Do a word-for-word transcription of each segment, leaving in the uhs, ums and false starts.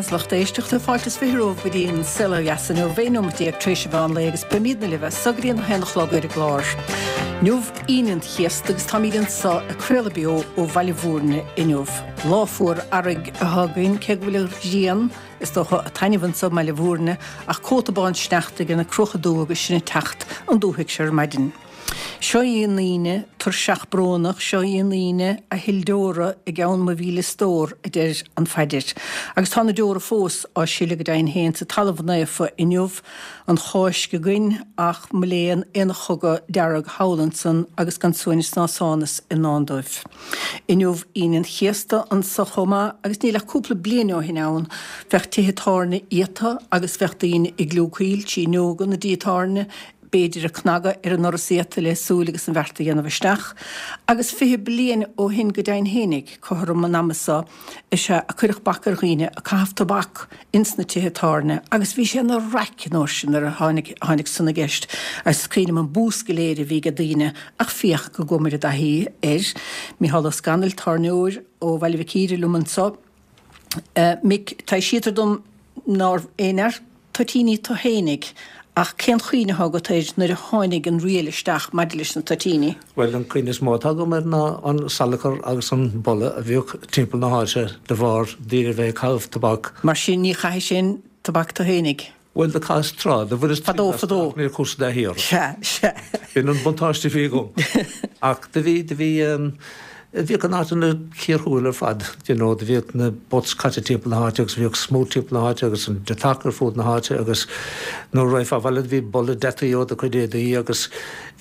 Beatha lucht éisteachta fáilte is fiche romhaibh go dtí an Saol Ó Dheas inniu aon nóiméad déag tar éis an mheán lae agus beimidne libh as so go dtí an haon a chlog ar an gclár. Inniu Aoine an Chéasta agus táimid anseo ag craoladh beo ó Bhaile Mhúirne inniu. Lá fuar earraigh atá againn cé go bhfuil an ghrian is dócha ag taitneamh anseo i mBaile Mhúirne ach cóta bán sneachta ar na cruacha dubha agus sinn ag teacht an dúthaigh seo ar maidin. Seo í an Aoine tuirseach brónach, seo í an Aoine a shil deora i gceann mo mhíle stór, a deir an phaidir. Agus tá na deora fós á sileadh go deimhin féin sa talamh naofa inniu, an Cháisc againn ach mo léan aon chogadh dearg thall ansan agus gan suaimhneas ná sánas i ndán dóibh. Inniu Aoine an Chéasta anso chomh maith agus níl ach cúpla bliain ó shin ann bheadh tithe tábhairne iata agus bheadh daoine ag gliúcaíl trí fhuinneoga na dtithe tábhairne, b'fhéidir ag cnagadh ar an ndoras iata le súil agus an bheart a dhéanamh isteach. Agus fiche bliain ó shin go deimhin fhéinig, cothrom an ama so, is ea a cuireadh bac ar dhaoine ag caitheamh tobac ins na tithe tábhairne agus bhí sé ina raic an uair sin nuair a tháinig tháinig san i gceist agus is cuimhin liom an bús go léir a bhí ag daoine ach féach go gcuamair i dtaithí air. Micheál Ó Scanaill, tábhairneoir ó Bhaile Mhic Íre liom anso. Mick, taibhsítear dom nárbh aon fhear toitíní tu fhéinig, ach cén chuimhne atá agat air nuair a tháinig an riail isteach maidir leis na toitíní? Bhuel, an chuimhne is mó atá agam air ná an salachar agus an boladh a bhíodh timpeall na háite de bharr daoine a bheith ag caitheamh tobac. Mar sin, ní chaithis aon tobac tu fhéinig? Bhuel, do chaitheas tráth, do bhaineas Fadó, triail as fadó. ach níor chuas i dtaithí orthu. Sea, sea. B'in an buntáiste a bhí agam. Ach do bhí, do bhí, Bhíodh an áit ina cíor thuathail ar fad, you know, do bhíodh na butts caite timpeall na háite agus bhíodh smúit timpeall na háite agus an deatach ar fud na háite agus nuair a raghfá abhaile do bhí boladh deataigh ó do chuid éadaí agus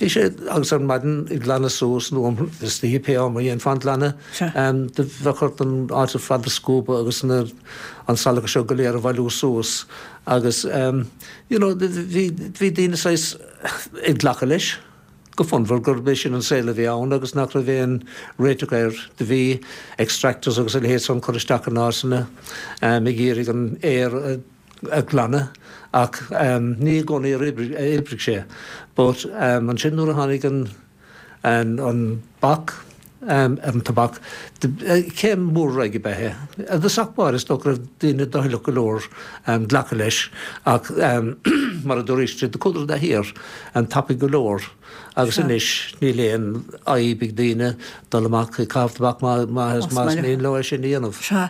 bhí sé, agus ar maidin ag glanadh suas nó istoíche pé am a dhéanfá an glanadh, do bheadh ort an áit ar fad a scuabadh agus na, an salachar seo go léir a bhailiú suas agus you know, bhí, bhí daoine saghas ag glacadh leis. go fonnmhar gurb é sin an saol a bhí ann agus nach raibh aon réiteach air. Do bhí extractors agus a leithéid san curtha isteach in áiteanna ag iarraidh an aer a ghlanadh ach ní i gcónaí a oibrigh sé. But ansin nuair a tháinig an an bac ar an tobac, céim mhór ar aghaidh ab ea é. I dtosach báire is dócha go raibh daoine doicheallach go leor glacadh leis ach mar a dúraís, do chuadar i dtaithí air tapaidh go leor agus anois níl aon fhadhb ag daoine dul amach ag caitheamh tobac más mian leo é sin a dhéanamh. Sea.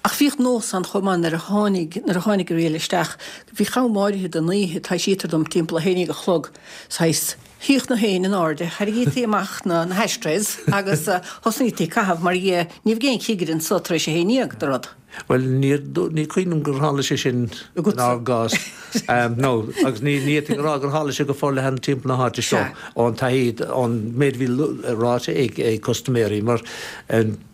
Ach bhíodh nós ann chomh maith nuair a tháinig, nuair a tháinig an riail isteach, bhíodh am áirithe den oíche, taibhsítear dom, timpeall a haon déag a chlog, saghas, Shuíodh na héin in airde, tharraingítí amach na hashtrays agus thosnaítí ag caitheamh mar dhea, ní bheadh aon chigire anso tar éis a haon dhéag de rud. Bhuel, ní cuimhin liom gur tharla sé sin inár gcás. No, agus ní fhéadfainn a rá gur tharla sé go forleathan timpeall na háite seo ón taithí, ón méid a bhí ráite ag custaiméirí, mar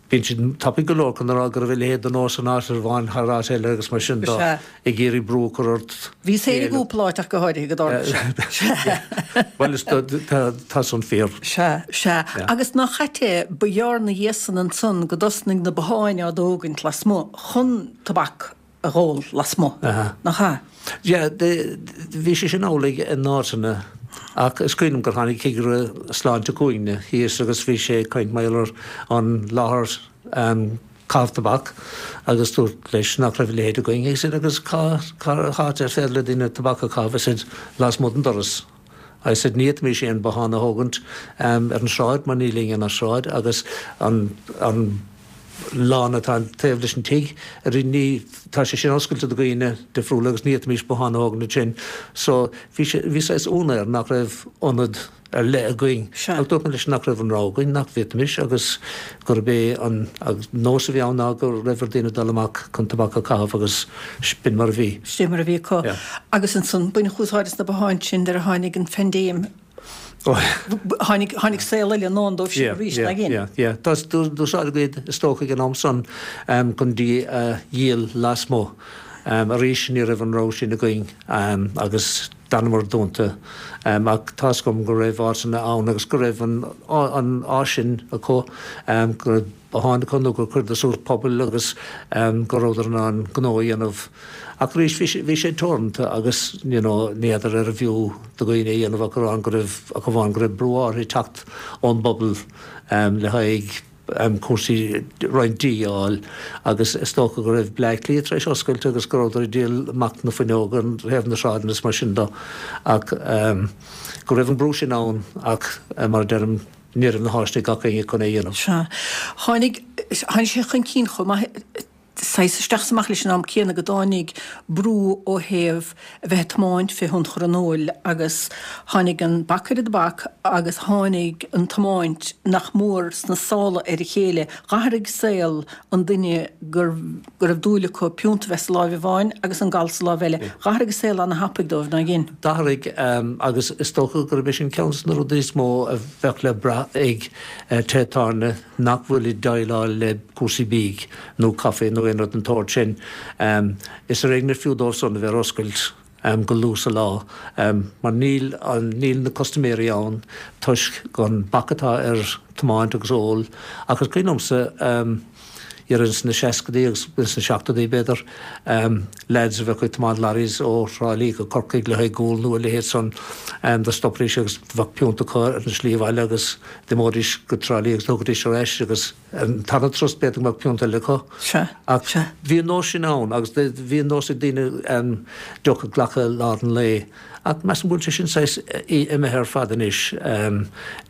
bíonn siad tapaidh go leor chun a rá go raibh a leithéid de nós in áit amháin thar áit eile agus mar sin de, ag iarraidh brú a chur ort. Bhíos féin i gcúpla áit ach go háirithe go dtarla sé. Bhuel, is tá san fíor. Sea, sea. Agus nach ait é, ba ghearr 'na dhiaidh san ansan go dtosnaigh na botháin á dtógaint lasmuigh chun tobac a dh'ól lasmuigh, nach ea? Yeah, bhí sé sin amhlaidh in áiteanna ach is cuimhin liom gur tháinig cigire sláinte chugainne thíos agus bhí sé ag caint mar gheall ar an láthair caitheamh tobac agus dúirt leis nach raibh a leithéid againn. He said agus cá háit ar féidir le daoine tobac a chaitheamh? I said lasmuigh den doras. I said ní fhéadfaimis aon bothán a thógaint ar an sráid mar níl éinne ar an sráid agus an an lána atá taobh leis an tigh ní tá sé sin oscailte do dhaoine difriúla agus ní fhéadfaimis bothán a thógaint ansin so bhí sé bhí saghas ionadh air nach raibh ionad ar leith againn. Ach dúirt mé leis nach raibh an rogha againn, nach bhféadfaimis agus gurb é an nós a bhí ann ná go raibh ar daoine dul amach chun tobac a chaitheamh agus b'in mar a bhí. Sin mar a bhí acu. Agus ansan baineadh úsáid as na botháin sin nuair a tháinig an phaindéim. Tháinig, tháinig saol eile i ndán dóibh sin arís, nach in? Yeah, yeah. D'úsáideadh iad is dócha ag an am san chun dí a dhíol lasmuigh. Arís ní raibh an rogha sin againn agus d'fhanamar dúnta. Ach tá's agam go raibh áiteanna ann agus go raibh an an áis sin acu, go raibh botháin acu nó gur chuireadar suas pubaill agus go rabhadar in ann gnó a dhéanamh. Ach arís bhí sé bhí sé teoranta agus you know ní fheadar arbh fhiú do dhaoine a dhéanamh ach amháin go raibh ach amháin go raibh brú áirithe ag teacht ón bpobal le haghaidh cúrsaí roinnt dí a fháil agus is dócha go raibh Bleá Cliath tar éis oscailt agus go rabhadar ag díol amach na fuinneoga ar thaobh na sráideanna is mar sin de ach go raibh an brú sin ann ach mar a deirim ní raibh na háiseanna ag gach éinne chun é a dhéanamh. Sea. Tháinig, tháinig sé chun cinn chomh maith saghas isteach is amach leis an am céanna go dtáinig brú ó thaobh a bheith ag tiomáint fé thionchar an óil agus tháinig an bac ar an dtobac agus tháinig an tiomáint nach mór sna sála ar a chéile. Dh'athraigh saol an duine go raibh dúil acu piúnta a bheith sa láimh amháin agus an gal sa láimh eile. Dh'athraigh an saol ana-thapaidh dóibh, nár dhein? D'athraigh agus is dócha gurb é sin ceann de na rudaí is mó a bheadh le brath ag tithe tábhairne nach bhfuil ag déileáil le cúrsaí bídh nó caife nó aon rud den tsórt sin. Is ar éigean ar fiú dóibh san a bheith ar oscailt go luath sa lá mar níl níl na custaiméirí ann toisc an bac atá ar tiomáint agus ól ach is cuimhin liomsa dhera ins na seascadaí agus ins na seachtóidí b'fhéidir lads a bheadh ag tiomáint lorries ó Thrá Lí go Corcaigh le haghaidh gual nó a leithéid san do stopaidís agus bheadh piúnta acu ar an slí abhaile agus d'imeoidís go Trá Lí agus thagaidís ar ais agus an tarna turas b'fhéidir go mbeadh piúnta eile acu. Sea, Ach sea. bhí an nós sin ann agus bhí an nós ag daoine deoch a ghlacadh i lár an lae ach measaim go bhfuil sé sin saghas imithe ar fad anois.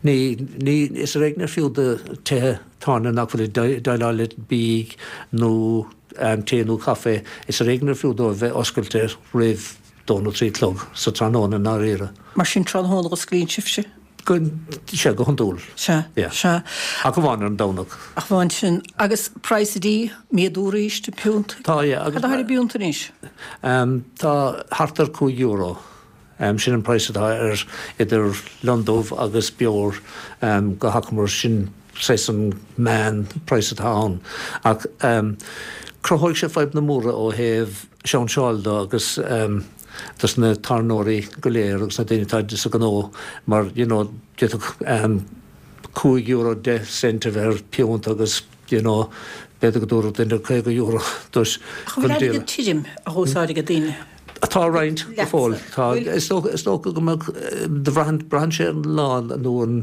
Ní, ní, is ar éigean ar fiú do tithe tábhairne nach bhfuil ag déileáil le bídh nó tae nó caife, is ar éigean ar fiú dóibh bheith oscailte roimh dó nó trí a chlog sa tráthnóna i ndáiríre. Mar sin tráthnóna a osclaíonn sibhse? Go, sea, go hiondúil. Sea, Yeah. sea. Ach amháin ar an Domhnach. Ach amháin sin. Agus praghas an dí, méadú arís, an piúnt? Tá, yeah, agus. Cad atá ar an bpiúnt anois? Tá thart ar cúig euro. Sin an praghas atá ar idir londubh agus beoir go hachomair. Sin saghas an meán praghas atá ann. Ach cruthóidh sé fadhbanna móra ó thaobh siúnseáil de agus dos na tábhairneoirí go léir agus na daoine atá sa ghnó mar you know d'fhéadfadh cúig euro deich cent a bheith ar piúnt agus you know b'fhéidir go dtabharfadh duine caoga euro duit Ach an bhfuil airgead tirim á úsáid ag daoine? Tá roinnt go fóill. Tá. Is dócha is dócha go mbeadh do bhraitheann braitheann sé ar an lá nó an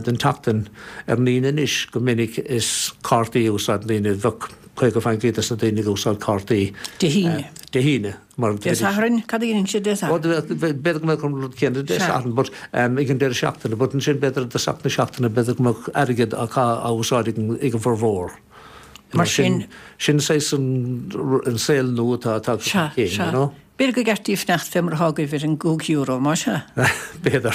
den tseachtain ar an Aoine anois go minic is cártaí a úsáideann daoine. Bheadh caoga faoin gcéad des na daoine ag úsáid cártaí. Dé hAoine. Dé hAoine mar Dé Sathairn? Cad a dhéanann siad Dé Sathairn? B'fhéidir go mbeadh an rud céanna Dé Sathairn but ag an deireadh seachtaine but ansin b'fhéidir i dtosach na seachtaine b'fhéidir go mbeadh airgead á á úsáid ag an bhformhór. Mar sin. Sin saghas an saol nua atá tagtha chun cinn, you know. B'fhéidir gur ceart daoibh fanacht fé mar atá agaibh ar an gcúig euro, más ea? B'fhéidir.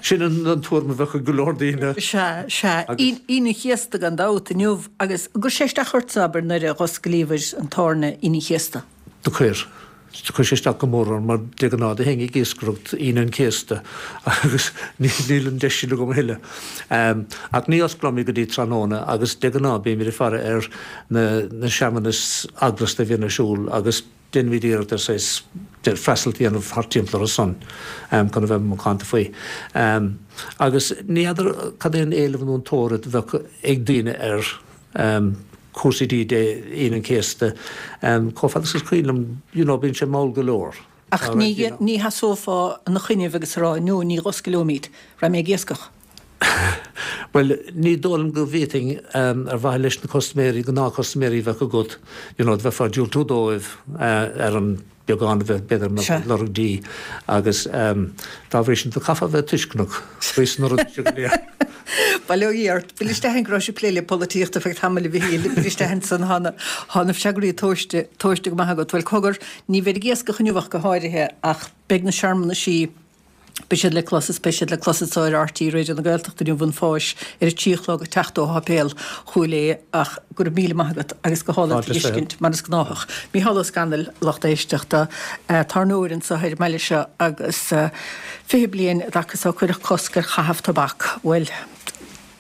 Sin an tuairim a bheadh ag go leor daoine. Sea, sea. Aoine an Chéasta gan dabht inniu agus an gcuir sé isteach ortsa, abair, nuair a dh'osclaíobhair an tábhairne Aoine an Chéasta? Do chuir. Do chuir sé isteach go mór orm mar de ghnáth do théinn ag iascaireacht Aoine an Chéasta agus níl an deis sin agam a thuilleadh. Ach ní osclaímid go dtí tráthnóna agus de ghnáth bímid ag faire ar na searmanais eaglasta a bhíonn ar siúl agus déanaimid iarracht ar saghas freastal a dhéanamh thart timpeall orthu san chun a bheith macánta faoi. Agus ní fheadar cad é an éileamh nó an tóir a bheadh ag daoine ar cúrsaí dí Dé Aoine an Chéasta, chomh fada is is cuimhin liom, you know, bíonn sé mall go leor. Ach ní, ní sheasófá ina choinnibh agus a rá, no, ní dh'oscaileoimid, raghaidh mé ag iascach. Bhuel, ní dóigh liom go bhféadfainn, ar mhaithe leis na custaiméirí, gnáthchustaiméirí a bheadh agat, you know, bheifeá ag diúltú dóibh ar an beagán a bheith b'fhéidir ag lorg dí agus dá bhrí sin do chaithfeá a bheith tuisceanach faoi sna rudaí seo go léir. Bail ó Dhia ort. Buail isteach go raibh sibh ag plé le polaitíocht ar feadh tamaill a Mhichíl. Buail isteach ansan thá na thá na freagraí tomhaiste tomhaiste go maith agat. Bhuel cogar, ní bheid ag iascach inniu ach go háirithe ach beidh na searmanaisí Beidh siad le clos is beidh siad le clos anso ar RTÉ Raidió na Gaeltachta inniu an Pháis ar a trí a chlog ag teacht ó Sháipéal Chúil Aodha ach go raibh míle maith agat agus go hálainn Fáilte is fiche. tuiscint mar is gnáthach. Mícheál Ó Scanaill, lucht éisteachta, tábhairneoir anso ar an mbaile seo agus fiche bliain i dtaca so cuireadh cosc ar chaitheamh tobac. Bhuel,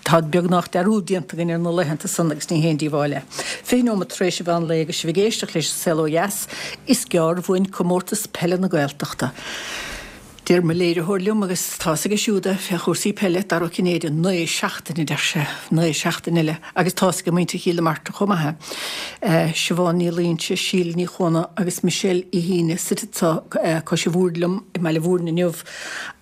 Tá beagnach dearúd déanta againn ar na laethanta san agus ní haon díobháil é. Fiche nóimeat tar éis an mheán lae agus sibh ag éisteacht leis An Saol Ó Dheas, is gearr uainn Comórtas Peile na Gaeltachta. Deir mo léiritheoir liom, agus tá's aige siúd é fé chúrsaí peile, Dara Ó Cinnéide, naoi seachtaine, a deir sé, naoi seachtaine eile, agus tá's ag muintir Chill na Martra chomh maith é. Siobhán Ní Loingsigh, Síle Ní Chuana agus Michelle Uí hAoine suite anseo cois an bhoird liom i mBaile Mhúirne inniu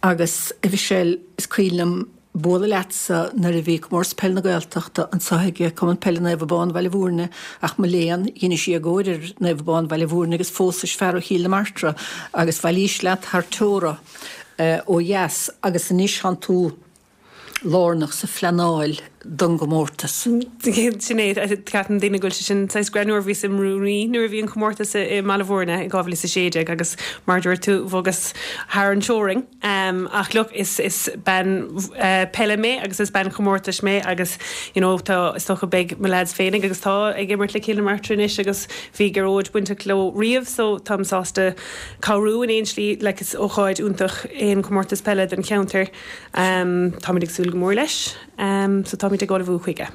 agus a Mhichelle, is cuimhin liom, bualadh leatsa nuair a bhí Comórtas Peile na Gaeltachta anseo ag Cumann Peile Naomh Abán Bhaile Bhúirne ach mo léan, dheinis éagóir ar Naomh Abán Bhaile Bhúirne agus phósais fear ó Chill na Martra agus bhailís leat thar teora ó dheas agus anois thánn tú lárnach sa phleanáil don gcomórtas. Sin é, ceapann daoine go bhfuil sé sin saghas greannmhar, bhíos im rúnaí nuair a bhí an comórtas i mBaile Bhúirne i dhá mhíle is a sé déag agus mar a dúirt tú bhogas thar an teorainn. Ach look, is is bean peile mé agus is bean chomórtais mé agus you know tá is dócha beidh mo lads féinig agus tá ag imirt le Cill na Martra anois agus bhí Gearóid bainteach leo riamh so táim sásta cabhrú in aon slí like is ócáid iontach é an comórtas peile don cheantar. Táimid ag súil go mór leis so táimid ag ullmhú chuige.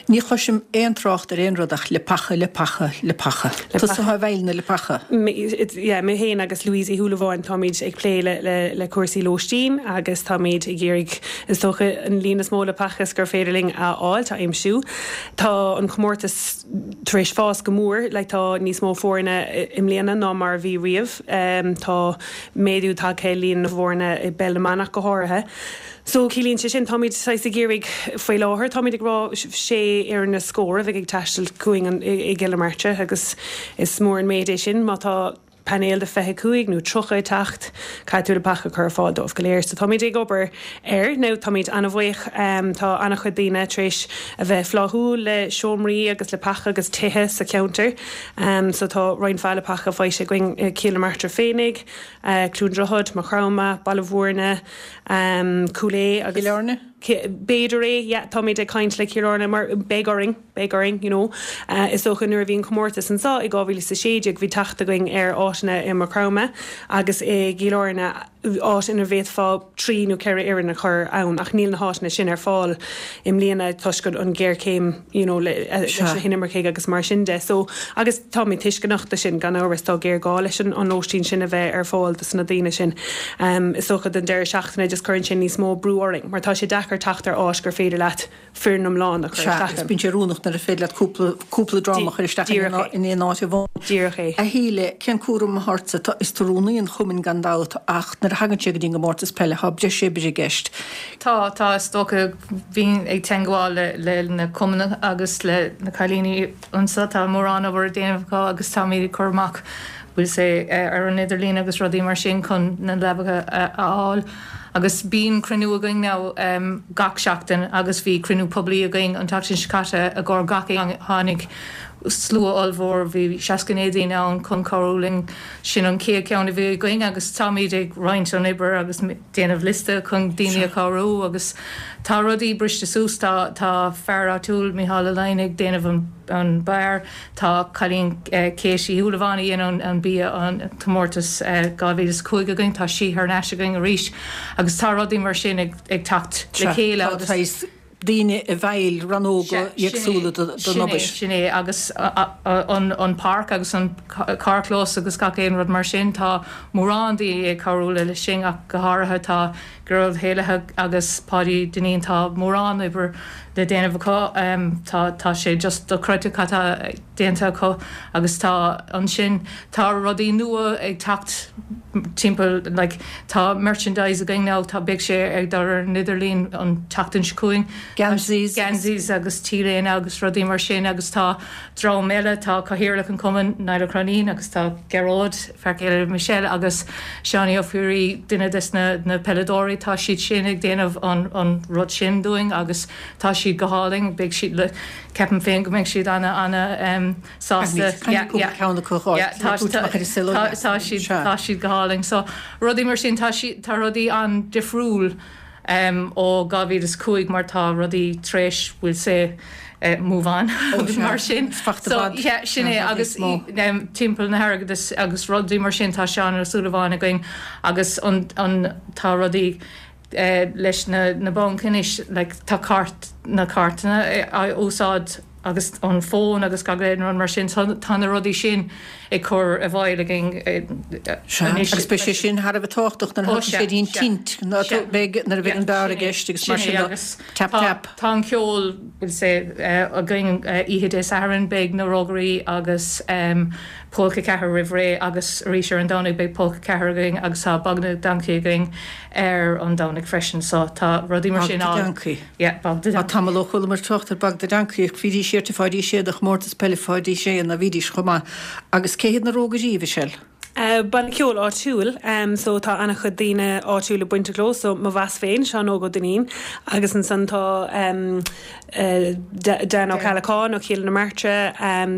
Ní chloisim aon trácht ar aon rud ach leapacha, leapacha, leapacha. Tusa atá i bhfeighil na leapacha. Yeah, mé féin agus Louise Uí Shúilleabháin táimid ag plé le, le, le cúrsaí lóistín agus táimid ag iarraidh is dócha an líon is mó leapacha is gur féidir linn a fháil, a aimsiú. Tá an comórtas tar éis fás go mór, like tá níos mó foirne i mbliana ná mar a bhí riamh. Tá méadú tagtha ar líon na bhfoirne i bpeil na mban ach go háirithe. So ciallaíonn sé sin, táimid saghas ag iarraidh faoi láthair, táimid ag rá sé fhoireann is scór a bheidh ag taisteal chugainn i gCill na Martra agus is mór an méid é sin má tá painéal de fiche cúig nó tríocha ag teacht, caithfidh tú leapacha a chur ar fáil dóibh go léir. So táimid ag obair air now, táimid an-bhuíoch, tá an-chuid daoine tar éis a bheith flaithiúil le seomraí agus leapacha agus tithe sa cheantar. So tá roinnt mhaith leapacha faighte againn i Cill na Martra féinig, Cluain Droichead, Maigh Chromtha, Baile Bhúirne, Cúil Aodha agus. Cill Airne? B'fhéidir é, yeah, táimid ag caint le Cill Airne mar beidh orainn, beidh orainn, you know. Is dócha nuair a bhí an comórtas anseo i dhá mhíle is a sé déag bhí teacht againn ar áiteanna i Maigh Chromtha agus i gCill Airne, áit ina bhféadfá trí nó ceithre fhoireann a chur ann ach níl na háiteanna sin ar fáil i mbliana toisc an ghéarchéim you know, le, leis na hinimircigh agus mar sin de. So, agus táimid tuisceanach de sin gan amhras, tá géarghá leis an, an lóistín sin a bheith ar fáil dos na daoine sin. Um, is dócha don deireadh seachtaine just cuireann sé níos mó brú orainn mar tá sé deacair teacht ar áit gur féidir leat foireann iomlán a chur Sea, isteach agus ann. bíonn sé oiriúnach nuair a féidir leat cúpla, cúpla dream a chur isteach in Díreach aon, é. in aon áit amháin. Díreach é. A Shíle, cén cúram atá ortsa? Tá, is tú rúnaí an chumainn gan dabht ach nuair a thagann sé go dtí an gcomórtas peile tá breis oibre i gceist. Tá, tá, is dócha bhínn ag teagmháil le, le na cumainn agus le na cailíní anseo, tá mórán obair á déanamh acu agus táimid ag cur amach bhfuil sé ar an idirlíon agus rudaí mar sin chun na leapacha a fháil. Agus bíonn cruinniú againn now um, gach seachtain agus bhí cruinniú poiblí againn an tseachtain seo caite i gcomhair gach aon tháinig slua ollmhór bhí seasca naoi daoine ann chun cabhrú linn sin an chéad ceann a bhí againn agus táimid ag roinnt an obair agus déanamh liosta chun daoine a chabhrú agus tá rudaí briste suas tá tá fear áitiúil Micheál Ó Laighin ag déanamh an an beár tá cailín eh, Céisí Thulamháin a dhéanamh an bia an comórtas eh, dhá mhíle is cúig againn tá sí thar n-ais againn arís agus tá rudaí mar sin ag, ag teacht le chéile Tá agus daoine i bhfeighil rannóga éagsúla den obair. Sin é agus an, an páirc agus an carrchlós agus gach aon rud mar sin tá mórán daoine ag cabhrú le sin ach go háirithe tá Gearóid Héalaithe agus Páidí Dinín tá mórán obair le déanamh acu um, tá, tá sé just dochreidte cad atá déanta acu agus tá ansin tá rudaí nua ag teacht timpeall like, tá merchandise againn now tá beidh sé ag dul ar an idirlíon an tseachtain seo chugainn. Geansaí. Geansaí agus t-léine agus rudaí mar sin agus tá dream eile tá Cathaoirleach an Chumainn Niall Croinín agus tá Gearóid fear céile Michelle agus Seánie Ó Fearraigh duine des na, na peileadóirí tá siad sin ag déanamh an, an rud sin dúinn agus tá siad go hálainn beidh siad le ceapaim féin go mbeidh siad ana ana um, sásta ceann acu tá siad tá siad go hálainn so rudaí mar sin tá si tá rudaí an-difriúil um, ó dhá mhíle is cúig mar tá rudaí tar éis we'll say uh, move on oh, mar sin so yeah, sin é agus um, timpeall na hairgeadas agus rudaí mar sin tá Seán Ó Súilleabháin againn agus an, an tá rudaí uh, leis na, na banc anois like, tá cairt na cairteanna a úsáid agus an fón agus gach aon rud mar sin tá na rudaí sin ag ag cur i bhfeighil againn anois. Agus beidh sé sin thar a bheith tábhachtach nuair a thagann sé dtí'n tint, beidh nuair a bheidh an beár i gceist agus mar sin de. Tap tap. Tá an ceol bhfuil sé againn oíche Dé Sathairn, beidh na Rógairí agus Polca ceathair roimh ré agus arís ar an Domhnaigh beidh Polca ceathair againn agus tá Bog na Dancaí againn ar an Domhnaigh freisin so tá rudaí mar sin ann. Bog na Dancaí. Yeah, Bog na Dancaí. Tá tamall ó chualamar trácht ar Bog na Dancaí ach bhídís ar Pháidí Sé do chomórtas peile Pháidí Sé ná bhídís chomh maith. Agus cé hiad na Rógairí, a Mhichelle? Banna ceoil áitiúil, so tá an-chuid daoine áitiúla bainteach leo, so mo mheas féin, Seán Óg Ó Duinnín, agus ansan tá Dan Ó Ceallacháin ó Chill na Martra,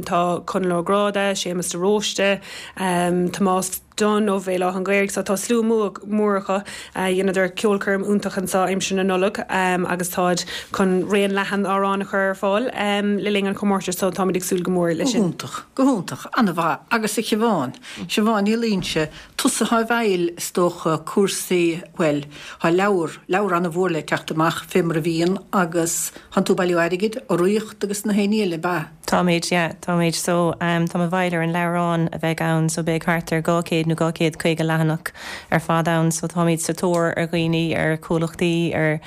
tá Conall Ó Gráda, Séamus de Róiste, Tomás Dunne ó Bhéal Átha an Ghaorthaidh, so tá slua mór acu. Dheineadar ceolchoirm iontach anso aimsir na Nollag agus táid chun raon leathan amhrán a chur ar fáil le linn an chomórtais so táimid ag súil go mór leis sin. Go hiontach, go hiontach, an-mhaith. Agus a Shiobhán, Siobhán Ní Loingsigh, tusa atá i bhfeighil is dócha cúrsaí, bhuel, tá leabhar, leabhar an-mhór le teacht amach fé mar a bhíonn agus tánn tú ag bailiú airgid, urraíocht agus na haon ní eile, ab ea? Táimid, yeah, táimid. So, táim i bhfeighil ar an leabhrán a bheidh ann, so beidh thart ar dhá chéad nó dhá chéad caoga leathanach ar fad ann. So táimid sa tóir ar dhaoine, ar chomhlachtaí, ar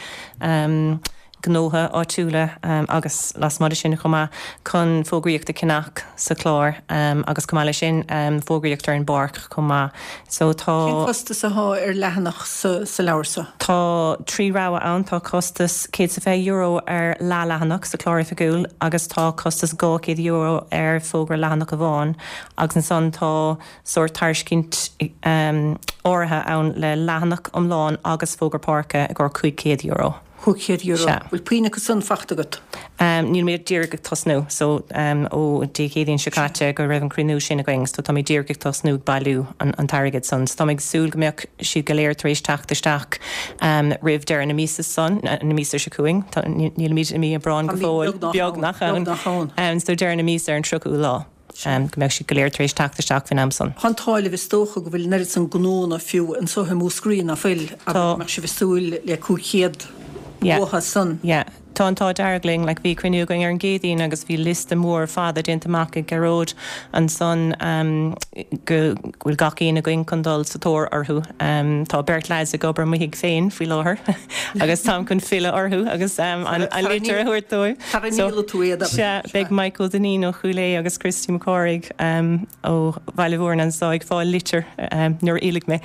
ghnótha áitiúla agus lasmuigh de sin chomh maith chun fógraíocht a cheannach sa chlár agus chomh maith leis sin fógraíocht ar an bpáirc chomh maith. So tá. Cén costas atá ar leathanach sa sa leabhar seo? Tá trí rogha ann, tá costas céad is a fiche euro ar leath-leathanach sa chlár oifigiúil agus tá costas dhá chéad euro ar fógra leathanach amháin agus ansan tá sórt tairiscint áirithe ann le leathanach iomlán agus fógra páirce i gcomhair cúig chéad euro. Cúig chéad euro. Sea. Bhfuil puinn acu san fachta agat? Níl mé díreach ag tosnú, so ó Dé Céadaoin seo caite go raibh an cruinniú sin againn, so tá mé díreach ag tosnú ag bailiú an t-airgead san. So tá mé ag súil go mbeadh siad go léir tar éis teacht isteach roimh deireadh na míosa san, na míosa seo chugainn, nílimid i mí Aibreáin go fóill, beagnach ann, so deireadh na míosa ar an tríochú lá. go mbeadh siad go léir tar éis teacht isteach faoin am san. Tá an t-ádh libh is dócha go bhfuil an oiread san gnónna fiú anso i Múscraí ná fuil agus go mbeadh sibh ag súil le cúig chéad uathu san. Yeah. Tá an t-ádh dearg linn. Like bhí cruinniú againn ar an gCéadaoin agus bhí liosta mór fada déanta amach ag Gearóid ansan go bhfuil gach éinne againn chun dul sa tóir orthu. Tá beirt leaids ag obair i mo thigh féin faoi láthair agus táim chun filleadh orthu agus an litir a thabhairt dóibh. Sara ndíolfaidh tú iad, abair. Sea, beidh Michael Dineen ó Chúil Aodha agus Christy Mac Cárthaigh ó Bhaile Mhúirne anso ag fáil litir nuair a fhillfidh mé.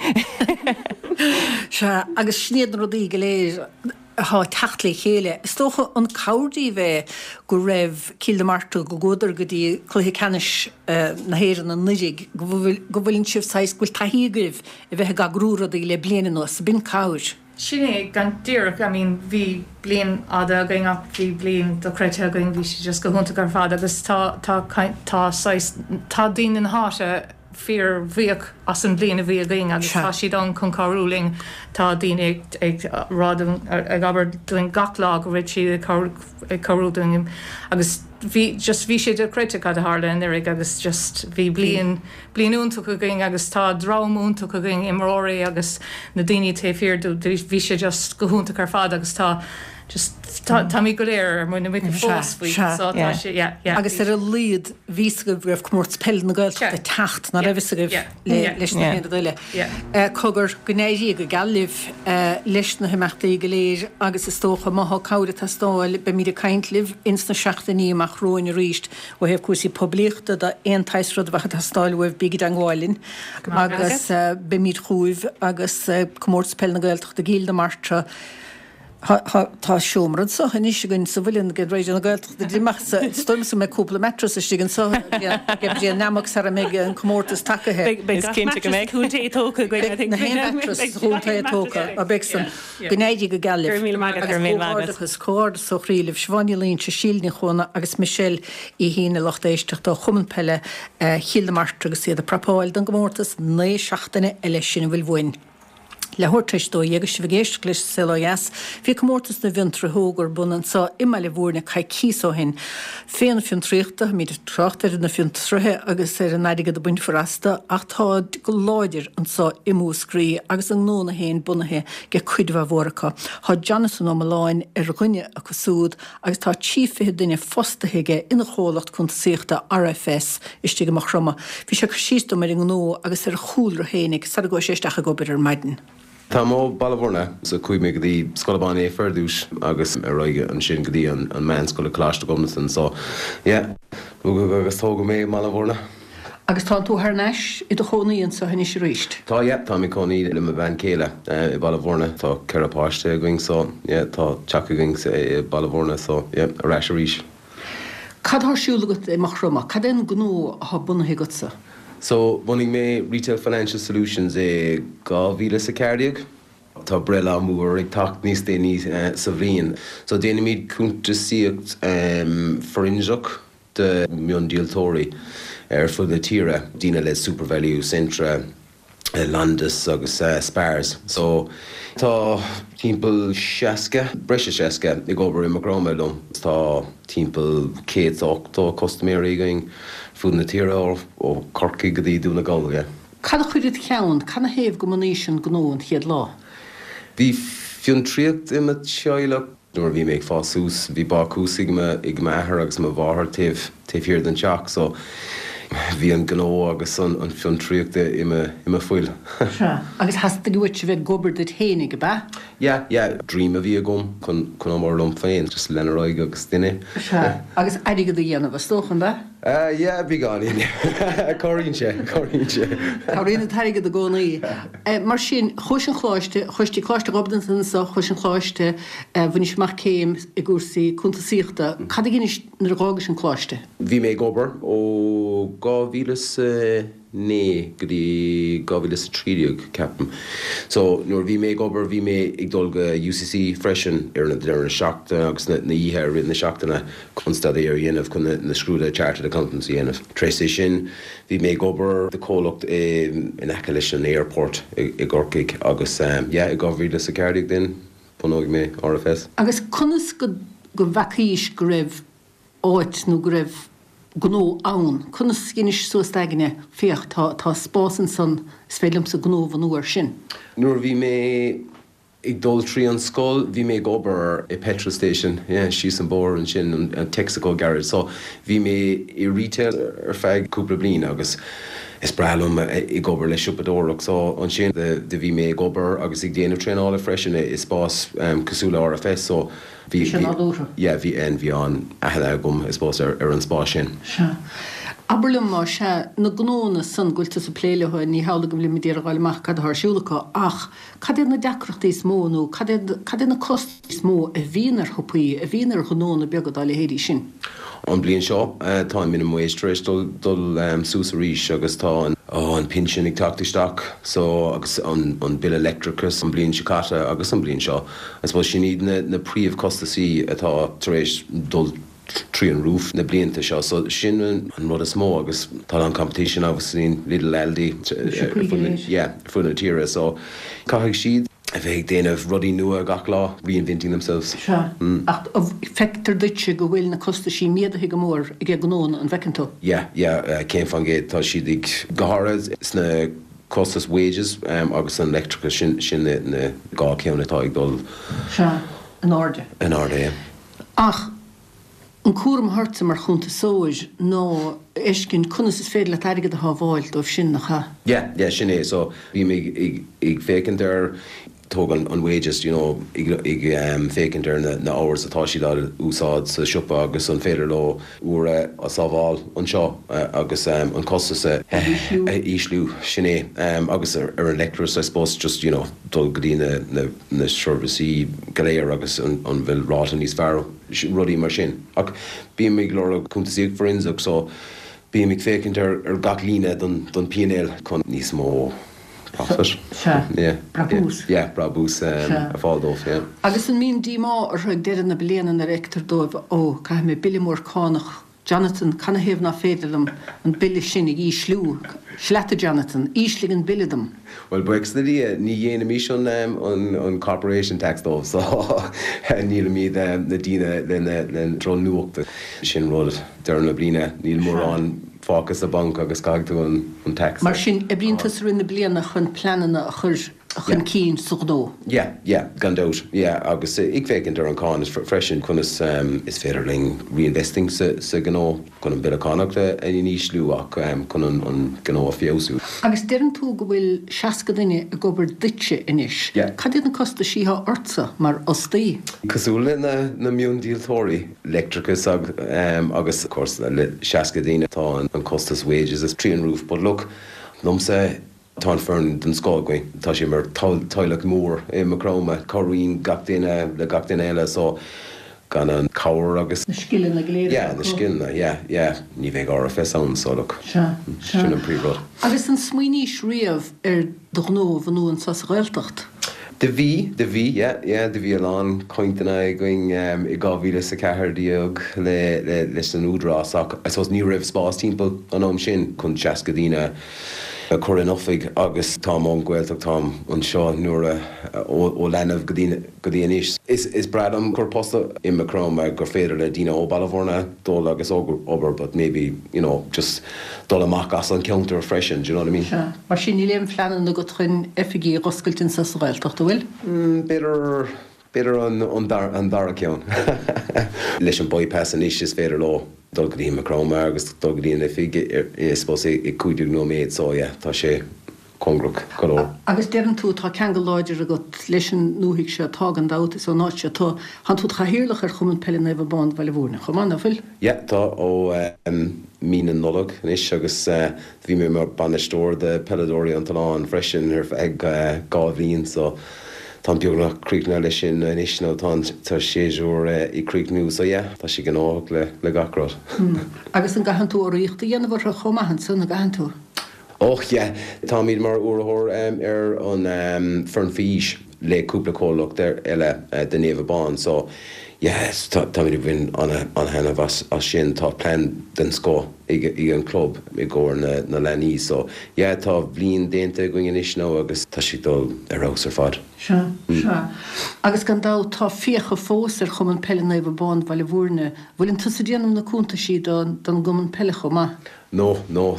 Sea, agus sin iad na rudaí go léir atá ag teacht le chéile. Is dócha an cabhair díobh é go raibh Cill na Martra, go gcuadar go dtí cluiche ceannais na hÉireann anuraidh, go bhfuil, go bhfuileann sibh saghas, go bhfuil taithí agaibh a bheith ag eagrú rudaí le bliain anuas. B'in cabhair. Sin é, gan díreach, I mean bhí bliain fhada againn ach bhí bliain dochreidte againn, bhí sé just go hiontach ar fad agus tá, tá, tá saghas, tá daoine na háite fíor-bhuíoch as an bhliain a bhí againn agus tá siad ann chun cabhrú linn, tá daoine ag, ag rá dúinn, ag abair dúinn gach lá go bhfuil siad ag cabhrú, ag cabhrú dúinn agus bhí, just bhí sé dochreidte cad a tharla anuraidh agus just bhí bliain, Bliain iontach againn agus tá dream iontach againn, imreoirí agus na daoine taobh thiar bhí sé just go hiontach ar fad agus tá just tá táimid go léir ar muin na muice fós faoi so tá sé yeah yeah. Agus ar a laghad bhí fhios agaibh go raibh Comórtas Peile na Gaeltachta ag teacht, nach raibh fhios agaibh leis na haon rud eile. Cogar, go n-éirí go geal libh leis na himeachtaí go léir agus is dócha má thá cabhair ag teastáil beimid ag caint libh ins na seachtainí amach romhainn arís. Ó thaobh cúrsaí poiblíochta de, aon tsaghas rud a bheadh ag teastáil uaibh, bígí i dteangmháil linn agus beimid chugaibh agus Comórtas Peile na Gaeltachta i gCill na Martra. Tá seomra anso anois againn sa Mhuileann ag Raidió na Gaeltachta díreach is dóigh liomsa go mbeidh cúpla mattress istigh anso ag Brian Nammock sara mbeidh an comórtas tagaithe. Beidh gach mattress sa chontae tógtha againn, I think. Beidh na haon mattress sa chontae tógtha, beidh san. Go n-éirí go geal libh. Go raibh míle maith agat. Agus comhghairdeachas, comhghairdeas ó chroí libh, Siobhán Ní Loingsigh, Síle Ní Chuana agus Michelle Uí hInne, lucht éisteachta ó Chumann Peile Chill na Martra agus iad ag prapáil don gcomórtas naoi seachtaine eile sin a bhfuil uainn. Leathuair tar éis a dó dhéag agus sibh ag éisteacht leis Saol Ó Dheas. Bhí comórtas na bhfiontraithe óga ar bun anseo i mBaile Bhúirne coicíos ó shin. Féile fiontraíochta, táimid ag trácht ar na fiontraithe agus ar an airgead a bainfear astu ach táid go láidir anseo i Múscraí agus a ngnónna féin bunaithe ag cuid mhaith mhór acu. Tá Jonathan Ó Mealláin ar dhuine acu súd agus tá trí fiche duine fostaithe aige ina chomhlacht cuntasaíochta RFS istigh i Maigh Chromtha. Bhí sé ag cur síos dom ar an ngnó agus ar a chúlra féinig sara gcuaigh sé isteach ag obair ar maidin. Táim ó Baile Bhúirne so chuaigh mé go dtí Scoil Abán Naofa ar dtús agus ar aghaidh ansin go dtí an an meánscoil Coláiste Ghobnatan so yeah rugadh agus tógadh mé i mBaile Bhúirne. Agus tá tú thar n-ais i do chónaí anseo anois arís? Tá yeah táim i cónaí le mo bhean chéile i Baile Bhúirne tá ceithre páiste againn so yeah tá teach againn i Baile Bhúirne so yeah ar ais arís. Cad tá ar siúl agat i Maigh Chromtha? Cad é an gnó atá bunaithe agatsa? So, bhunaigh mé Retail Financial Solutions i dhá mhíle is a ceathair déag. Tá breithlá mór ag teacht níos déanaí sa bhliain. So, déanaimid cuntasaíocht fhoirnseach do mhiondíoltóirí ar fud na tíre, daoine le Supervalu, Centra, Londis agus Spars. So, tá timpeall seasca, breis is seasca, ag obair i Maigh Chromtha liom. Tá timpeall céad is ochtó custaiméirí againn fud na tíre, ó Chorcaigh go dtí Dún na nGall, yeah. Cad a chuir id cheann, cad 'na thaobh go mbunaís an gnó an chéad lá? Bhí fiontraíocht i mo theaghlach. Nuair a bhí mé ag fás suas, bhí bácús ag m'athair agus mo mháthair taobh taobh thiar den teach so bhí an gnó agus an fhiontraíocht i mo fuil. Sea. Agus theastaigh uait a bheith ag obair duit fhéinig, ab ea? Yeah, yeah. Dream a bhí agam chun chun obair liom féin, just lean ar aghaidh agus duine. Sea. Agus airgead a dhéanamh, is dócha, an ea? Yeah, beagáinín. Cabhraíonn sé, cabhraíonn sé. Cabhraíonn an t-airgead i gcónaí. Mar sin, chuais an choláiste, chuais dtí Coláiste Ghobnatan anseo, chuais an choláiste, bhainis amach céim i gcúrsaí cuntasaíochta. Cad a dheinis nuair a dh'fhágais an coláiste? Bhí mé ag obair ó dhá mhíle is a naoi go dtí dhá mhíle is a trí déag, ceapaim. So, nuair a bhí mé ag obair, bhí mé ag dul go UCC freisin ar na deireadh seachtaine agus na oíche i rith na seachtaine chun staidéar a dhéanamh chun na scrúduithe Chartered Accountants a dhéanamh. Tar éis é sin, bhí mé ag obair do chomhlacht in aice leis an airport i gCorcaigh agus yeah, i dhá mhíle is a ceathair déag then, bhunaigh mé RFS. Agus conas go go bhfeacaís go raibh áit nó go raibh gnó ann. Conas dheinis suas d'aigne, féach, tá, tá spás ansan, is féidir liomsa gnó a bhunú air sin. Nuair a bhí mé ag dul trí an scoil, bhí mé ag obair i petrol station, yeah, síos an bóthar ansin, an Texaco garage. So, bhí mé i retail ar feadh cúpla bliain agus is breá liom ag obair le siopadóireacht. So, ansin do bhí mé ag obair agus ag déanamh traenála freisin i spás cosúil le RFS. So, Bhí sé nádúrtha. Yeah, bhí an, bhí an aithne agam, I suppose, ar, ar an spás sin. Sea. Abair liom, más ea, na gnónna san go bhfuil tusa ag plé leo, ní hamhlaidh go bhfuilimid ag iarraidh a fháil amach cad atá ar siúl acu, ach cad iad na deacrachtaí is mó nó cad iad, cad iad na costais is mó a bhíonn ar shiopaí, a bhíonn ar ghnónna beaga dá leithéidí sin? An bhliain seo, tá an minimum wage tar éis dul dul suas arís agus tá an an pinsean ag teacht isteach so agus an an bille leictreachais an bhliain seo caite agus an bhliain seo. I suppose sin iad na na príomhchostasaí atá tar éis dul trí an roof na blianta seo so sin an rud is mó agus tá an competition obviously Lidl Aldi yeah ar fud na tíre so caithfidh siad a bheith ag déanamh rudaí nua gach lá, reinventing themselves. Sea, ach feictear duitse go bhfuil na costaisí méadaithe go mór ag gnónna, an bhfeiceann tú? Yeah, yeah, céad faoin gcéad, tá siad ag, go háirithe sna costais wages agus an leictreachas, sin, sin na dhá cheann atá ag dul. Sea, in airde. In airde, yeah. Ach an cúram atá ortsa mar chuntasóir ná a fheiscint conas is féidir leat airgead a shábháil dóibh sin, nach ea? Yeah, yeah, sin é. So, bím ag, ag, ag féachaint ar, tóg an, an wages, you know, ag, ag féachaint ar na, na hours atá siad á úsáid sa siopa agus an féidir leo uair a sábháil anseo agus an costas a, a ísliú, sin é. Agus ar, ar an leictreachas, I suppose, just, you know, dul go dtí na, na, na seirbhísí go léir agus an, an bhfuil ráta níos fearr. rudaí mar sin. Ach bím ag lorg cuntasaíocht forensic so bím ag féachaint ar ar gach líne don don P and L chun níos mó profit. Sea. Yeah. Brabús. Yeah, brabús Sea. a fháil dóibh, yeah. Agus an mbíonn díomá orthu ag deireadh na bliana nuair a fheictear dóibh, ó, caithfidh mé bille mór cánach Jonathan, canathaobh nach féidir liom an bille sin a ísliú? Seo leat a Jonathan, ísligh an bille dom. Bhuel, buíochas le Dia, ní dhéanaimís an an corporation tax dóibh so nílimid na daoine lena le drochnuacht. Sin rud deireadh na bliana, níl mórán fágtha sa banc agus caithfidh tú an an tax. Mar sin, oibríonn tusa i rith na bliana chun pleananna a chur chun cinn sa ghnó? Yeah, yeah, gan dabht, yeah, agus ag féachaint ar an cáin freisin, conas is féidir linn reinvesting sa sa ghnó chun an bille cánach a ísliú ach chun an an gnó a feabhsú. Agus deireann tú go bhfuil seasca duine ag obair duitse anois. Yeah. Cad iad na costaisí atá ortsa mar fhostaí? Cosúil le na na miondíoltóirí, leictreachas agus of course le seasca duine tá an costas wages is through the roof, but look, liomsa tá an foireann den scoth againn. Tá sé mar teaghlach mór i Maigh Chromtha, cabhraíonn gach duine le gach duine eile so gan an cabhair agus. Na scileanna go léir atá acu. Yeah, na scileanna, yeah, yeah. Ní bheadh RFS ann so look. Sea, sea. Sin an príomhrud. Agus an smaoinís riamh ar do ghnó a bhunú anseo sa Ghaeltacht? Do bhí, do bhí, yeah, yeah, do bhí a lán cainteanna againn i dhá mhíle is a ceathair déag le, le, leis an Údarás ach I suppose ní raibh spás timpeall an am sin chun seasca daoine a chur in oifig agus táim ón Ghaeltacht, táim anseo nuair a, ó, ó leanbh go dtí, go dtí anois. Is, is breá liom cur post i Maigh Chromtha gur féidir le daoine ó Baile Bhúirne dul agus obair but maybe, you know, just dul amach as an ceantar freisin, do you know what I mean? Sea. Mar sin níl aon phleananna agat chun oifigí a dh'oscailt anseo sa Ghaeltacht, an bhfuil? B'fhéidir, b'fhéidir an, an dara, an dara ceann. Leis an bypass anois is féidir leo dul go dtí Maigh Chromtha agus dul go dtí an oifig i, I suppose i cúig déag nóiméad so yeah, tá sé cóngarach go leor. Agus deireann tú, tá ceangal láidir agat leis an ndúthaigh seo, tá gan dabht, is ón áit seo tú. Tánn tú i do chathaoirleach ar Chumann Peile Naomh Abán Bhaile Bhúirne chomh maith, nach bhfuil? Yeah, tá, ó mí na Nollag anois agus bhí mé mar bainisteoir de peileadóirí an tOileáin freisin ar feadh dhá bhliain so táim beagnach críochnaithe leis sin anois nó tá an séasúr ag críochnú so yeah, tá sé gnóthach le le gach rud. Agus an gcaitheann tú urraíocht a dhéanamh orthu chomh maith ansan, an gcaitheann tú? Och yeah, táimid mar urraitheoir ar an foireann faoi aois le cúpla comhlacht eile de Naomh Abán so yeah táimid ag baint an-thaitneamh as sin. Tá plean den scoth ag an club i gcomhair na na leanaí so yeah tá bliain déanta againn anois now agus tá sé ag dul ar fheabhas ar fad. Sea, sea. Agus gan dabht tá fiacha fós ar Chumann Peile Naomh Abán Bhaile Bhúirne. Bhfuileann tusa ag déanamh na cuntaisí don gcumann peile chomh maith? No, no,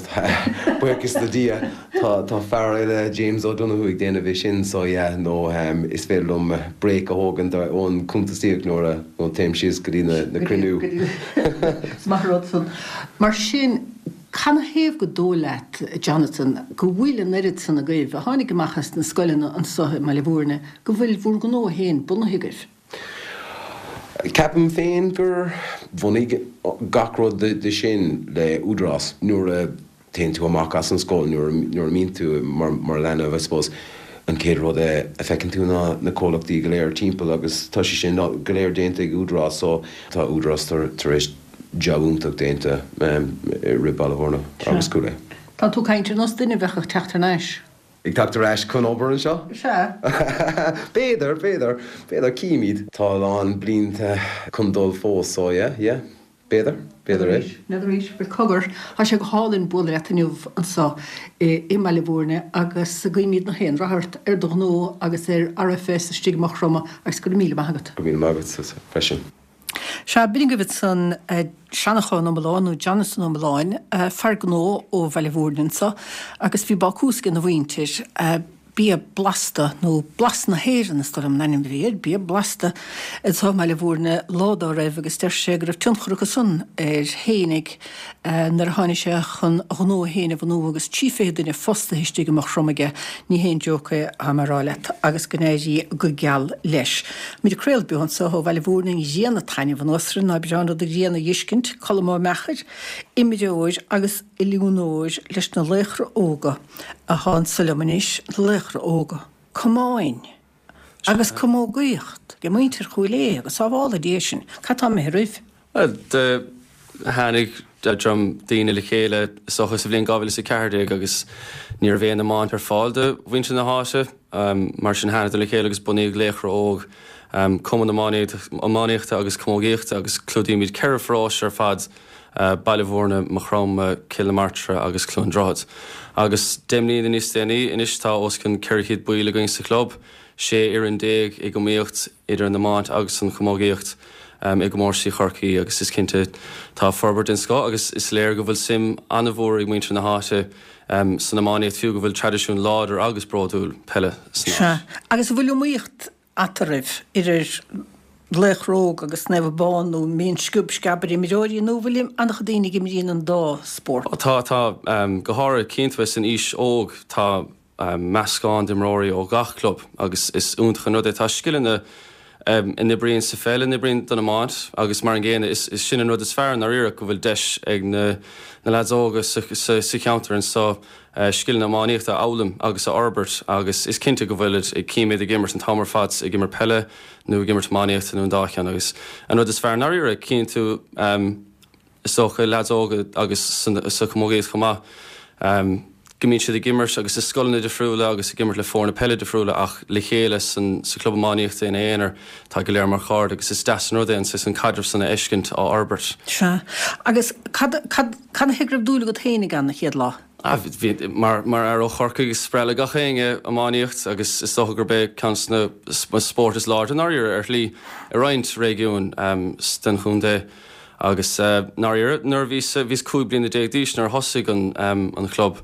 buíochas le Dia, tá tá fear eile, James O'Donoghue, ag déanamh é sin, so yeah, no, is féidir liom break a thógaint ón cuntasaíocht nuair a nó téim síos go dtí na na cruinniú. Is maith an rud san. Mar sin, canathaobh go dóigh leat, Jonathan, go bhfuil an oiread san agaibh a tháinig amach as na scoileanna anso i mBaile Bhúirne, go bhfuil bhur ngnó féin bunaithe agaibh? Ceapaim féin gur bhunaigh gach rud de sin le Údarás. Nuair a théann tú amach as an scoil, nuair a mbíonn tú mar leanbh, I suppose, an chéad rud a feiceann tú ná na comhlachtaí go léir timpeall agus tá sé sin go léir déanta ag Údarás so tá Údarás tar éis jab iontach déanta i rith Baile Bhúirne agus Cúil Aodha. Tá tú ag caint ar nós duine a bheadh ag teacht thar n-ais. Ag teacht ar ais chun obair anseo? Sea. B'fhéidir, b'fhéidir, b'fhéidir, címid. Tá a lán blianta chun dul fós, so yeah, yeah, b'fhéidir, b'fhéidir é. N'fheadar arís, bhuel cogar, tá sé go hálainn bualadh leat inniu anseo i mBaile Bhúirne agus guímid gach aon rath ort ar do ghnó agus ar RFS istigh i Maigh Chromtha agus go raibh míle maith agat. Go raibh míle maith agat freisin. Sea, b'in agaibh ansan Seanchán Ó Mealláin, nó Jonathan Ó Mealláin, fear gnó ó Bhaile Bhúirne anso, agus bhí bácús ag a mhuintir, Bia Blasta, nó Blas na hÉireann is dóigh liom an ainm a bhí air, Bia Blasta, anso i mBaile Bhúirne lá dá raibh agus deir sé go raibh tionchar acu san air fhéinig nuair a tháinig sé chun a ghnó fhéin a bhunú agus trí fiche duine fostaithe istigh i Maigh Chromtha aige, ní haon joke é atá mé a rá leat, agus go n-éirí go geal leis. Muid ag craoladh beo anseo ó Bhaile Bhúirne, an ghrian ag taitneamh anuas orainn, ná breá an rud an ghrian a dh'fheiscint, Colm Ó Meachair, imreoir agus oiliúnóir leis na Laochra Óga athá anso liom anois, na Laochra Óga, camáin agus camógaíocht ag muintir Chúil Aodha agus sábhála Dia sinn, cad tá imithe roimh? Bhuel, do tháinig dream daoine le chéile is dócha sa bhliain dhá mhíle is a ceathair déag agus ní raibh aon iomáint ar fáil do mhuintir na háite. Mar sin thánadar le chéile agus bunaíodh Laochra Óg, cumann iománaíochta agus camógaíochta agus clúdaímid ceithre pharóiste ar fad Baile Bhúirne, Maigh Chromtha, Cill na Martra agus Cluain Droichead. Agus deich mbliana níos déanaí anois tá os cionn ceithre chéad baill againn sa chlub, sé fhoireann déag ag iomaíocht idir an iomáint agus an chamógaíocht i gcomórtaisí Chorcaí agus is cinnte tá forbairt den scoth agus is léir go bhfuil suim an-mhór ag muintir na háite san iománaíocht fiú go bhfuil traidisiún láidir agus bródúil peile san áit. Sea. Agus an bhfuil iomaíocht eatarthu idir Laochra Óg agus Naomh Abán nó an mbíonn sciob sceab ar imreoirí nó an bhfuil an-chuid daoine ag imríonn an dá spórt? Tá, tá. Go háirithe cinnte san aois óg tá meascán d'imreoirí ó gach club agus is iontach an rud é. Tá scileanna a n-oibríonn sa pheil a n-oibríonn don iomáint agus mar an gcéanna is sin an rud is fearr i ndáiríre go bhfuil deis ag na leaids óga sa cheantar anseo scileanna iománaíochta a fhoghlaim agus a fhorbairt agus is cinnte go bhfuilid ag címid ag imirt an t-am ar fad ag imirt peile nó ag imirt iománaíochta nó an dá cheann agus an rud is fearr i ndáiríre cíonn tú is dócha leaids óga agus sa chamógaíocht chomh maith go mbíonn siad ag imirt agus i scoileanna difriúla agus ag imirt le foirne peile difriúla ach le chéile san sa chlub iománaíochta ina aonar tá go léir mar chairde agus is deas an rud é an saghas an caidreamh san a fheiscint á fhorbairt. Sea. Agus cad cad cad a thuige go raibh dúil agat féinig ann an chéad lá? Ah, bhí, mar mar fhear ó Chorcaigh is breá le gach éinne iománaíocht agus is dócha gurb é ceann de na spóirt is láidre i ndáiríre ar shlí i roinnt réigiún den chontae. Agus ndáiríre nuair a bhíos bhíos cúig bliana déag d'aois nuair a thosaigh an an chlub.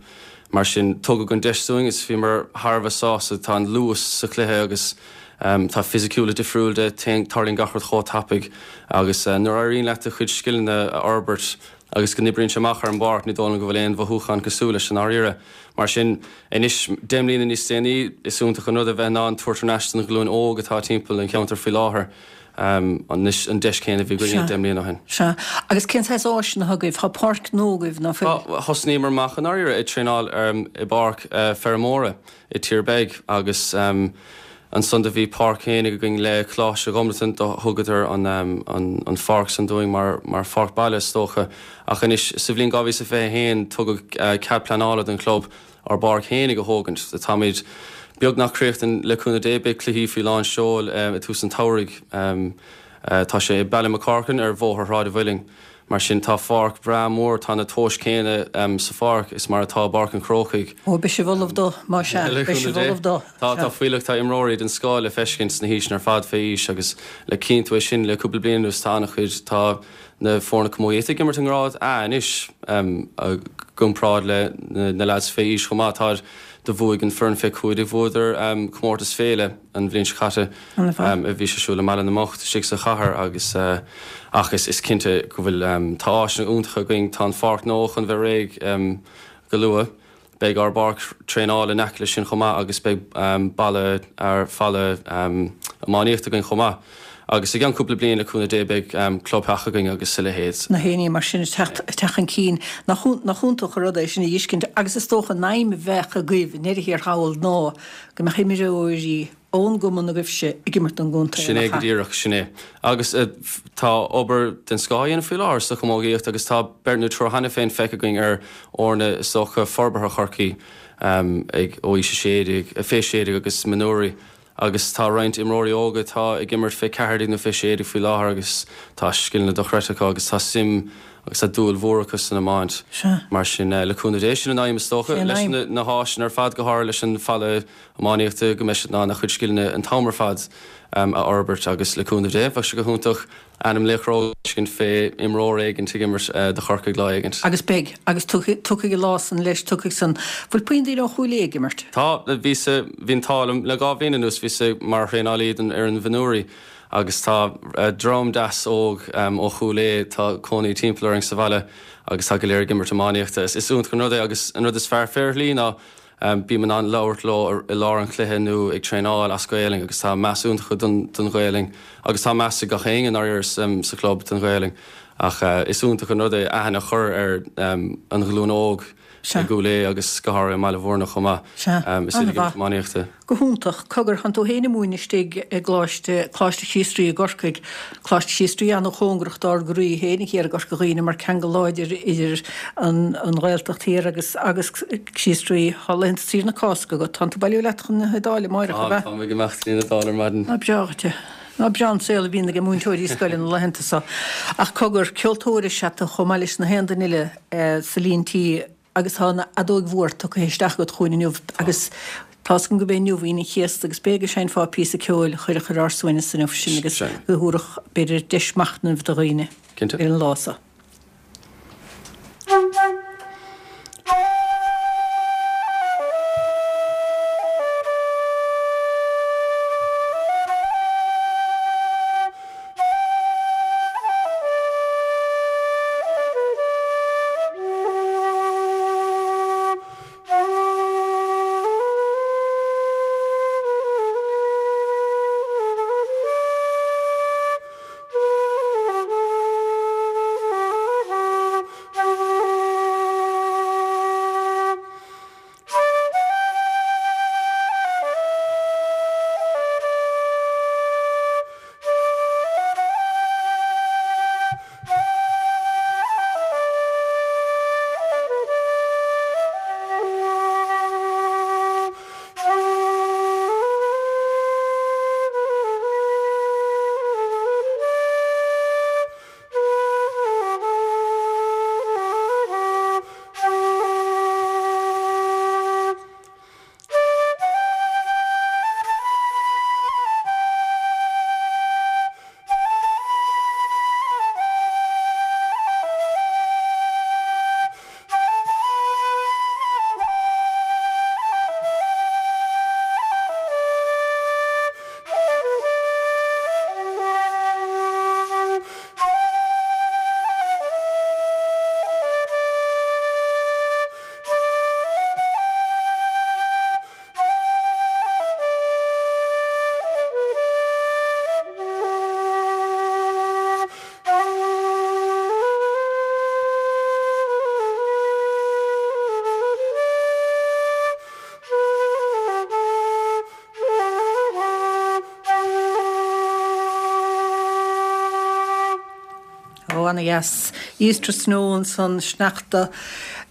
Mar sin tugadh an deis dúinn is bhíomar thar a bheith sásta. Tá an luas sa chluiche agus tá fisiciúlacht difriúil de, tarlaíonn gach rud chomh tapaidh agus nuair a éiríonn leat do chuid scileanna a fhorbairt agus go n-oibríonn sé amach ar an bpáirc ní dóigh liom go bhfuil aon mhothúchán cosúil leis i ndáiríre. Mar sin anois, deich mbliana níos déanaí, is iontach an rud a bheith in ann tabhairt thar n-ais don ghlúin óg atá timpeall an cheantair faoi láthair anois an deis chéanna a bhí againne deich mbliana ó shin. Sea. Agus cén saghas áiseanna atá agaibh? Tá páirc nua agaibh, ná fuil? Tá. Thosnaíomar amach i ndáiríre ag traenáil i bpáirc feirmeora i Tír Beag agus ansan do bhí páirc fhéinig againn le Coláiste Dhomhnaltain, do thugadar an pháirc san dúinn mar mar pháirc baile is dócha. Ach anois sa bhliain dhá mhíle is a fiche a haon tugadh cead pleanála don chlub ár bpáirc fhéinig a thógaint. Táimid beagnach críochnaithe le cúnamh Dé, beidh cluichí faoi lán seoil i tús an tsamhraidh. Tá sé i Ballymacorkin ar Bhóthar Shráid an Mhuilinn. Mar sin tá pháirc bhreá mór, tá na tomhais céanna sa pháirc is mar atá i bPáirc an Chrócaigh. Ó, beidh sibh ullamh dó, más ea, beidh sibh ullamh dó. Tá, tá fuílleach, tá imreoirí den scoth le feiscint sna haoiseanna ar fad fé aois agus le cinntiú é sin le cúpla bliain anuas tá an-chuid, tá na foirne camógaíochta ag imirt i ngrád A anois i gcomparáid le na leaids fé aois chomh maith. Tá do bhuaigh an foireann fé cúig déag bhuadar comórtas féile an bhliain seo caite a bhí sé siúl i mBaile na mBocht istigh sa chathair agus ach is is cinnte go bhfuil tá áiseanna iontacha againn tá an pháirc nua chun bheith réidh go luath. Beidh ár bpáirc traenála in aice leis sin chomh maith agus beidh balla ar falla iománaíochta againn chomh maith. Agus i gceann cúpla bliain, le cúnamh Dé, beidh clubtheach againn agus a leithéid. Na haon ní mar sin ag teacht ag teacht chun cinn. Nach nach iontach an rud é sin a fheiscint agus is dócha an aidhm a bheadh agaibh i ndeireadh thiar thall ná go mbeadh imreoirí ón gcumann agaibhse ag imirt don gcontae, Sin é nach go ea? díreach, sin é. Agus tá obair den scoth á dhéanamh faoi láthair sa chamógaíocht agus tá beirt nó triúr cheana féin feicthe againn ar fhoirne is dócha forbartha Chorcaí ag ó aois a sé déag, fé sé déag agus mionúirí. Agus tá roinnt imreoirí óga atá ag imirt fé ceathair déag nó fé sé déag faoi láthair agus tá scileanna dochreidte acu agus tá suim agus tá dúil mhór acu san iomáint. Sea. Mar sin, le cúnamh Dé, sin an aidhm is dócha, Sin an leis aidhm. na háiseanna ar fad, go háirithe leis an falla iománaíochta, go mbeidh siad in ann a chuid scileanna an t-am ar fad a fhorbairt agus le cúnamh Dé, bheadh sé go hiontach ainm Laochra Óg a fheiscint fé imreoir éigint ag imirt do Chorcaigh lá éigint. Agus beidh, agus tiocfaidh, tiocfaidh an lá san leis, tiocfaidh san. Bhfuil puinn daoine ó Chúil Aodha ag imirt? Tá, bhíos, bhí an t-ádh liom le dhá bhliain anuas, bhíos mar thraenálaí don fhoireann mhionúirí agus tá dream deas óg ó Chúil Aodha, tá cónaí timpeall orainn sa bhaile agus tá go léir ag imirt iománaíochta. Is iontach an rud é agus an rud is fearr fé ar shlí ná bím in ann labhairt leo i lár an chluiche nó ag traenáil as Gaelainn agus tá meas iontach acu don don Ghaelainn agus tá meas ag gach éinne i ndáiríre sa chlub don Ghaelainn ach is iontach an rud é aithne a chur ar an ghlúin óg i gCúil Aodha agus go háirithe i mBaile Bhúirne chomh maith. Sea, Is iad ag imirt an-mhaith. iománaíochta. Go hiontach. Cogar, thánn tú féin ag múineadh istigh i gColáiste, Coláiste Chríost Rí i gCorcaigh. Coláiste Chríost Rí an-chóngarach dár gcroí féin thiar i gCorca Dhuibhne mar ceangal láidir idir an an Ghaeltacht thiar agus agus Críost Rí. Tá laethanta saoire na Cásca agat. Tánn tú ag bailiú leat chun na hIodáile amáireach, Tá, ab ea? táim ag imeacht go dtí an Iodáil ar maidin. Ná breá dhuit é. Ná breá an saol a bhíonn ag múinteoirí scoile na laethanta seo. Ach cogar, ceoltóir is ea tú chomh maith leis na haon duine eile sa líon tí agus tá an fheadóig mhór tugtha isteach agat chugainn inniu agus tá's agam gurb é inniu Aoine an Chéasta agus b'fhéidir go seinnfeá píosa ceoil a chuirfeadh ar ár suaimhneas inniu sin agus go dtabharfadh b'fhéidir deis machnaimh do dhaoine ar an lá seo. Ó, ana dheas. Easter Snow ansan, sneachta,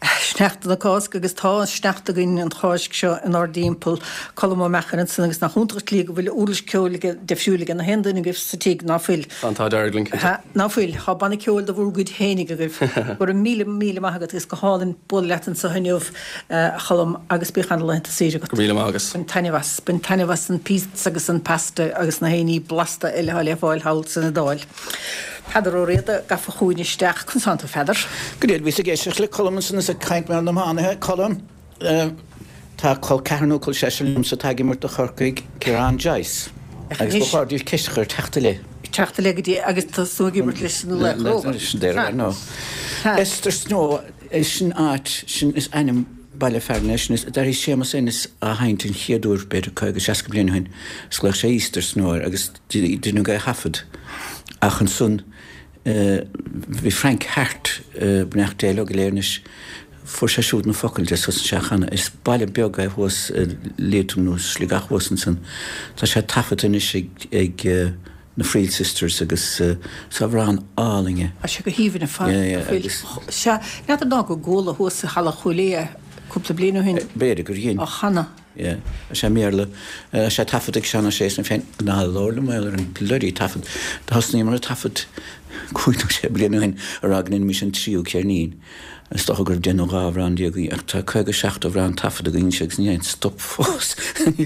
sneachta na Cásca agus tá an sneachta againn an Cháisc seo inár dtimpeall. Colm Ó Meachair ansan agus nach iontach an tslí go bhfuil uirlis ceoil aige, deifriúil ag na haon duine agaibh sa tigh, ná fuil? Tá an t-ádh dearg linn, cinnte. Ná fuil? Tá banna ceoil de bhur gcuid fhéinig agaibh. Go raibh míle, míle maith agat agus go hálainn bualadh leat anso inniu, a Choilm, agus bíodh ana-laethanta saoire agat. Go raibh míle maith agat. Bain taitneamh as. Bain taitneamh as an pizza agus an pasta agus na haon ní blasta eile atá le fáil thall san Iodáil. Peadar Ó Riada gafa chugainn isteach. Conas tánn tú, a Pheadair? Go deimhin, bhíos ag éisteacht le Colm ansan is ag caint mar na hiománaithe. Colm, tá col ceathrar nó col seisear liomsa atá ag imirt do Chorcaigh, Ciarán Joyce. Agus ba chóir duit ceist a chur teacht i leith. Teacht i leith go dtí agus tosnú ag imirt leis na Laochra Óga. Easter Snow, sin áit, sin is ainm baile fearainn é sin. Is d'airigh Séamus Ennis á sheinnt an chéad uair b'fhéidir caoga, seasca bliain ó shin. Is ghlaoigh sé Easter Snow air agus deineadh é a thaifead. Ach ansan bhí Frank Harte, beannacht Dé leo go léir anois, fuair sé siúd na focail de, thosaigh sé á chanadh. Is baile beag é thuas i Liatroim nó Sligeach thuas ansan. Tá sé taifeadta anois ag na Friel Sisters agus is amhrán álainn é. Tá sé go haoibhinn ar fad. Yeah, yeah, agus. Sea, n'fheadar ná go gcuala thuas i Halla Chúil Aodha cúpla bliain ó shin. B'fhéidir gur dhein. Á chanadh. Yeah. Tá sé i mBéarla. Tá sé taifeadta ag Seán Ó Sé san féin. Ná labhair liom mar gheall ar an bloody taifead. Thosnaíomar ag taifead cúig nó sé bliana ó shin a rá go ndéanfaimis an tríú ceirnín. Is dócha go raibh deich nó dhá amhrán déag againn ach tá caoga seacht amhrán taifeadta againn anois agus níl aon stop fós.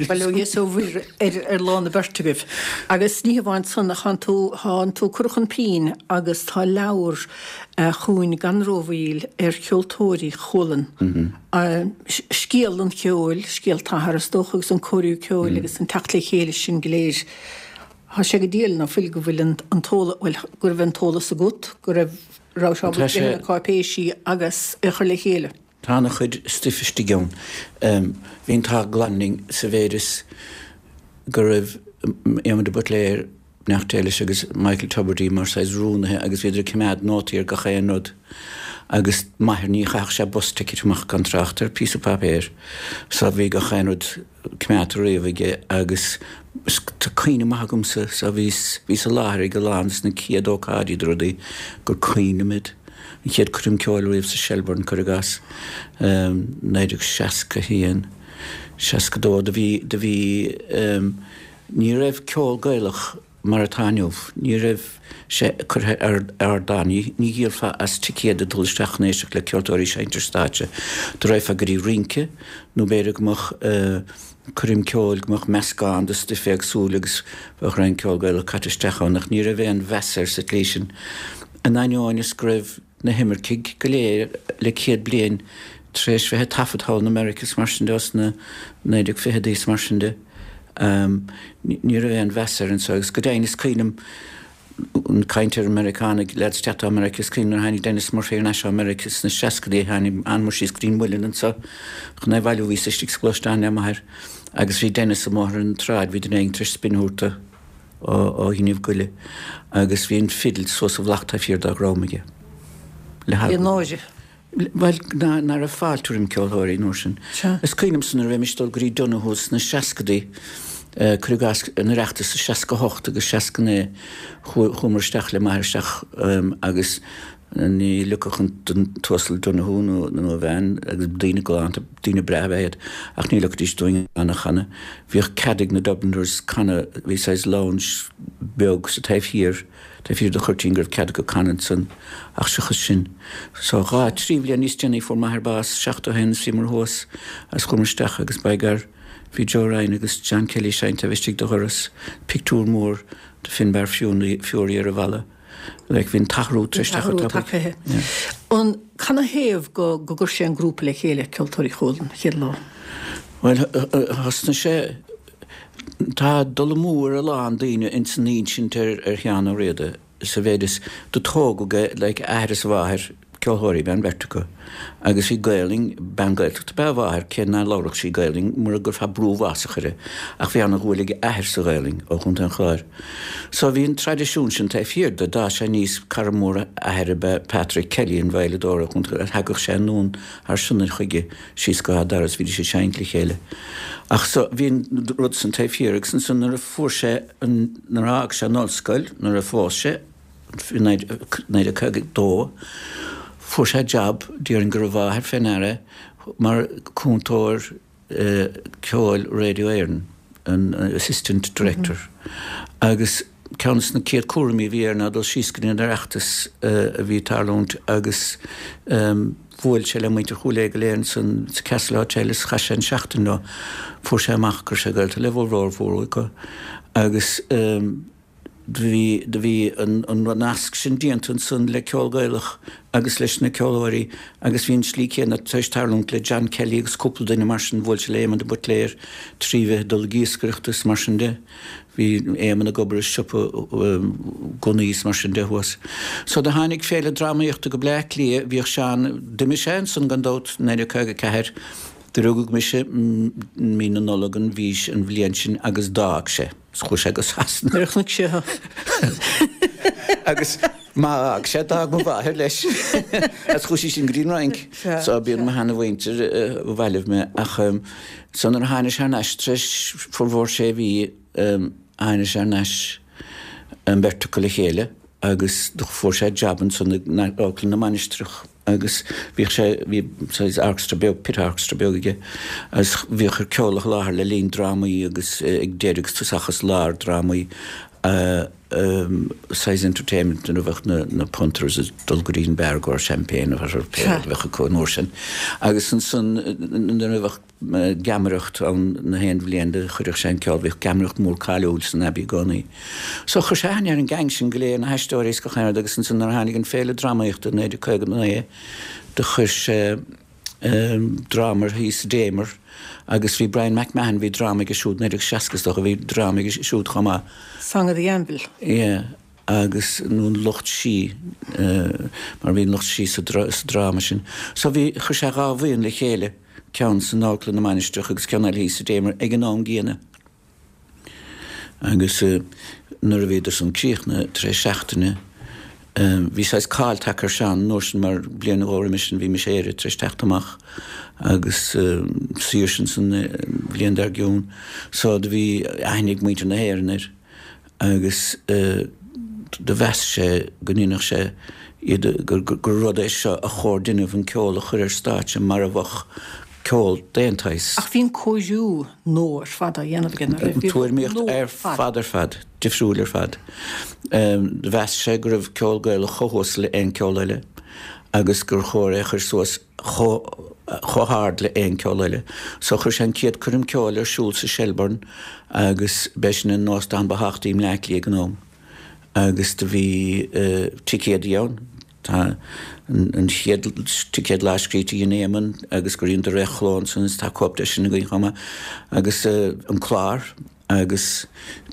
Bail ó Dhia is ó Mhuire ar ar lán na beirte agaibh. Agus ní hamháin san ach thánn tú, thánn tú curtha chun pinn agus tá leabhar chugainn gan rómhoill ar cheoltóirí Chualann. Scéal an cheoil, scéal t'athar is dócha agus an cóiriú ceoil agus an teacht le chéile sin go léir. Tá sé go diail ná fuil go bhfuil an t-eolas, bhuel, go raibh an t-eolas agat, go raibh raibh sé ábalta na cáipéisí agus é a chur le chéile. Tá ana-chuid stuif istigh ann. Bhí an t-ádh glan linn sa mhéid is go raibh Éamon de Buitléir, beannacht Dé leis, agus Michael Tubridy mar saghas rúnaithe agus bhíodar ag coimeád nótaí ar gach aon rud agus m'athair ní chaithfeadh sé bus ticket amach gan trácht ar phíosa páipéir so bhí gach aon rud coimeádta riamh aige agus tá cuimhne maith agamsa so bhíos, bhíos i láthair ag a lán des na chéad ócáidí de rudaí gur cuimhin liom iad. An chéad coirm ceoil riamh sa Shelbourne, cuir i gcás, naoi déag seasca haon, seasca dó, do bhí, do bhí, ní raibh ceol Gaelach mar atá inniu. Ní raibh sé curtha ar ardán. Ní dhíolfá as ticéad ag dul isteach chun éisteacht le ceoltóirí ag seinnt ar stáitse. Do raghfá go dtí rince nó b'fhéidir go mbeadh coirm ceoil, go mbeadh meascán de stuif éagsúil agus bheadh roinnt ceol Gaelach caite isteach ann ach ní raibh aon mheas air sa tslí sin. In ainneoin is go raibh na himircigh go léir le céad bliain tar éis bheith ag taifead thall in America is mar sin de sna naoi déag fichidí is mar sin de. Ní raibh aon mheas air anso agus go deimhin is cuimhin liom caint ar Meiriceánaigh, leaids ag teacht ó Meiriceá, is cuimhin liom nuair a tháinig Denis Murphy thar n-ais ó Meiriceá sna seascaidí, thánamar síos go dtí an Muileann anso chun é a bhailiú, bhíos istigh sa ghluaisteán le m'athair agus bhí Denis amuigh ar an tsráid, bhí duine éigin tar éis spin a thabhairt dó ó thine goile agus bhí an fidil suas i bhflach taobh thiar dá dhrom aige. Le Bhí náire. Bhuel, ná raibh fáilte roim ceoltóirí an uair sin. Is cuimhin liomsa nuair a bhímis ag dul go dtí Donohoe's sna seascadaí, cuir i gcás, an Oireachtas i seasca hocht agus seasca naoi, chuamar isteach le m'athair isteach agus ní ligfeadh an tUasal Donohoe nó a bhean, agus daoine galánta, daoine breátha ab ea iad, ach ní ligfidís dúinn amhrán a chanadh. Bhíodh cead ag na Dubliners canadh, bhí saghas lounge beag sa taobh thiar, Taobh thiar de chuirtín go raibh cead acu canadh ansan ach seachas sin. So dhá, trí bhliain níos déanaí fuair m'athair bás, seachtó a haon is bhíomar thuas agus chuamar isteach agus by gar bhí Joe Ryan agus John Kelly ag seinnt taobh istigh de dhoras, pictiúr mór de Finbar Furey ar an bhalla. Like bhí an t-athrú tar éis teacht An t-athrú tagtha. An, canathaobh go, go gcuir sé an grúpa le chéile, Ceoltóirí Chualann, chéad lá? Bhuel, thosnaigh sé Tá dul amú ar a lán daoine ins an insint ar Sheán Ó Riada sa mhéid is do tógadh é like a athair is a mháthair, ceolthóirí ab ea an bheirt acu agus bhí Gaelainn, bean Gaeltachta ab ea a mháthair cé ná labhradh sí Gaelainn mura gcuirfeá brú uafásach uirthi ach bhí ana-dhúil ag a athair sa Ghaelainn ó Chontae an Chláir. So bhí an traidisiún sin taobh thiar de, d'fhás sé aníos, cara mór a athar ab ea Patrick Kelly, an veidhleadóir ó Chontae an Chláir, thagadh sé anonn thar Sionainn chuige síos go Áth Dara is bhídís ag seinnt le chéile. Ach so, bhí an rud san taobh thiar agus ansan nuair a fuair sé an, nuair a fhág sé an ollscoil, nuair a phós sé, i naoi déag caoga a dó, fuair sé jab, déarfainn go raibh a mháthair fé ndeara, mar cúntóir ceoil Radio Éireann, an assistant director. Agus ceann de na céad cúraimí a bhí air ná dul síos go dtí an Oireachtas a bhí ag tarlúint agus bhuail sé le muintir Chúil Aodha go léir ansan sa Castle Hotel is chaith sé an seachtain leo. Fuair sé amach go raibh sé gaolta le bhformhór mhór acu agus do bhí do bhí an an nasc sin déanta ansan le ceol Gaelach agus leis na ceoltóirí agus bhí an tslí céanna tar éis tarlúint le John Kelly agus cúpla duine mar sin, bhuail sé le Éamon de Buitléir trí bheith ag dul ag iascaireacht is mar sin de. Bhí Éamon ag obair i siopa gunnaí is mar sin de thuas. So do tháinig féile drámaíochta go Bleá Cliath, bhíodh Seán, d'imigh sé ansan gan dabht, naoi déag caoga a ceathair, do rugadh mise mí na Nollag an mhí, an bhliain sin agus d'fhág sé. Chuaigh sé go Sasana. Nuair a chonaic sé thú. Agus má fhág sé, d'fhág mo mháthair leis. Agus chuaigh sí sin go dtí an Fhrainc. So b'iad mo sheana-mhuintir a bhailigh mé. Ach so nuair a tháinig sé thar n-ais tar éis formhór sé mhí, tháinig sé thar n-ais an bheirt acu le chéile agus do fuair sé jab ansan ag Amharclann na Mainistreach. Agus bhíodh sé, bhí saghas orchestra beag, pit orchestra beag aige agus bhíodh air ceol a sholáthar le linn drámaí agus ag deireadh agus tosach is lár drámaí, saghas entertainment nuair a bheadh na na punters ag dul go dtí an beár i gcomhair champagne nó whatever pé rud a bheadh acu an uair sin. Agus ansan nuair a bheadh geamaireacht ann na haon bhliain do chuireadh sé an ceol, bhíodh geamaireacht mór cáiliúil san Abbey i gcónaí. So chuir sé aithne ar an gang sin go léir, na haisteoirí is gach aon rud agus ansan nuair a tháinig an Féile Drámaíochta i naoi déag caoga a naoi do chuir sé dráma ar thíos sa Damer agus bhí Brian McMahon, bhí dráma aige siúd, naoi déag seasca is dócha, bhí dráma aige siúd chomh maith. Song of the Anvil. Yeah. Agus nó an lucht sí, mar bhí an lucht sí sa dráma sin. So bhí, chuir sé dhá bhuíon le chéile. ceann san Amharclann na Mainistreach agus ceann eile thíos sa Damer ag an am gcéanna. Agus nuair a bhíodar san críochnaithe tar éis seachtaine, bhí saghas cáil tagtha ar Seán an uair sin mar bliain nó dhó roimis sin bhí Mise Éire tar éis teacht amach agus Saoirse ansan an bhliain dár gcionn. So do bhí aithne ag muintir na hÉireann air. Agus do mheas sé go ndéanfadh sé iad, gur rud é seo a chóir déanamh, an ceol a chur ar stáitse mar a bheadh ceol d'aon tsaghas. Ach bhí an cóiriú nua ar fad á dhéanamh aige, nach raibh? Bhí Tuairimíocht nua ar fad ar fad, difriúil ar fad. Mheas sé go raibh ceol Gaelach chomh huasal le aon ceol eile agus gur chóir é a chur suas chomh hard le aon ceol eile. So chuir sé an chéad coirm ceoil ar siúl sa Shelbourne agus b'é sin an óstán ba thábhachtaí i mBleá Cliath ag an am. Agus do bhí ticéadaí ann. Tá an chéad ticéad lámhscríte a dhein Éamonn agus gur dheineadar é a chló ansan is tá cóip de sin againn chomh maith agus an clár agus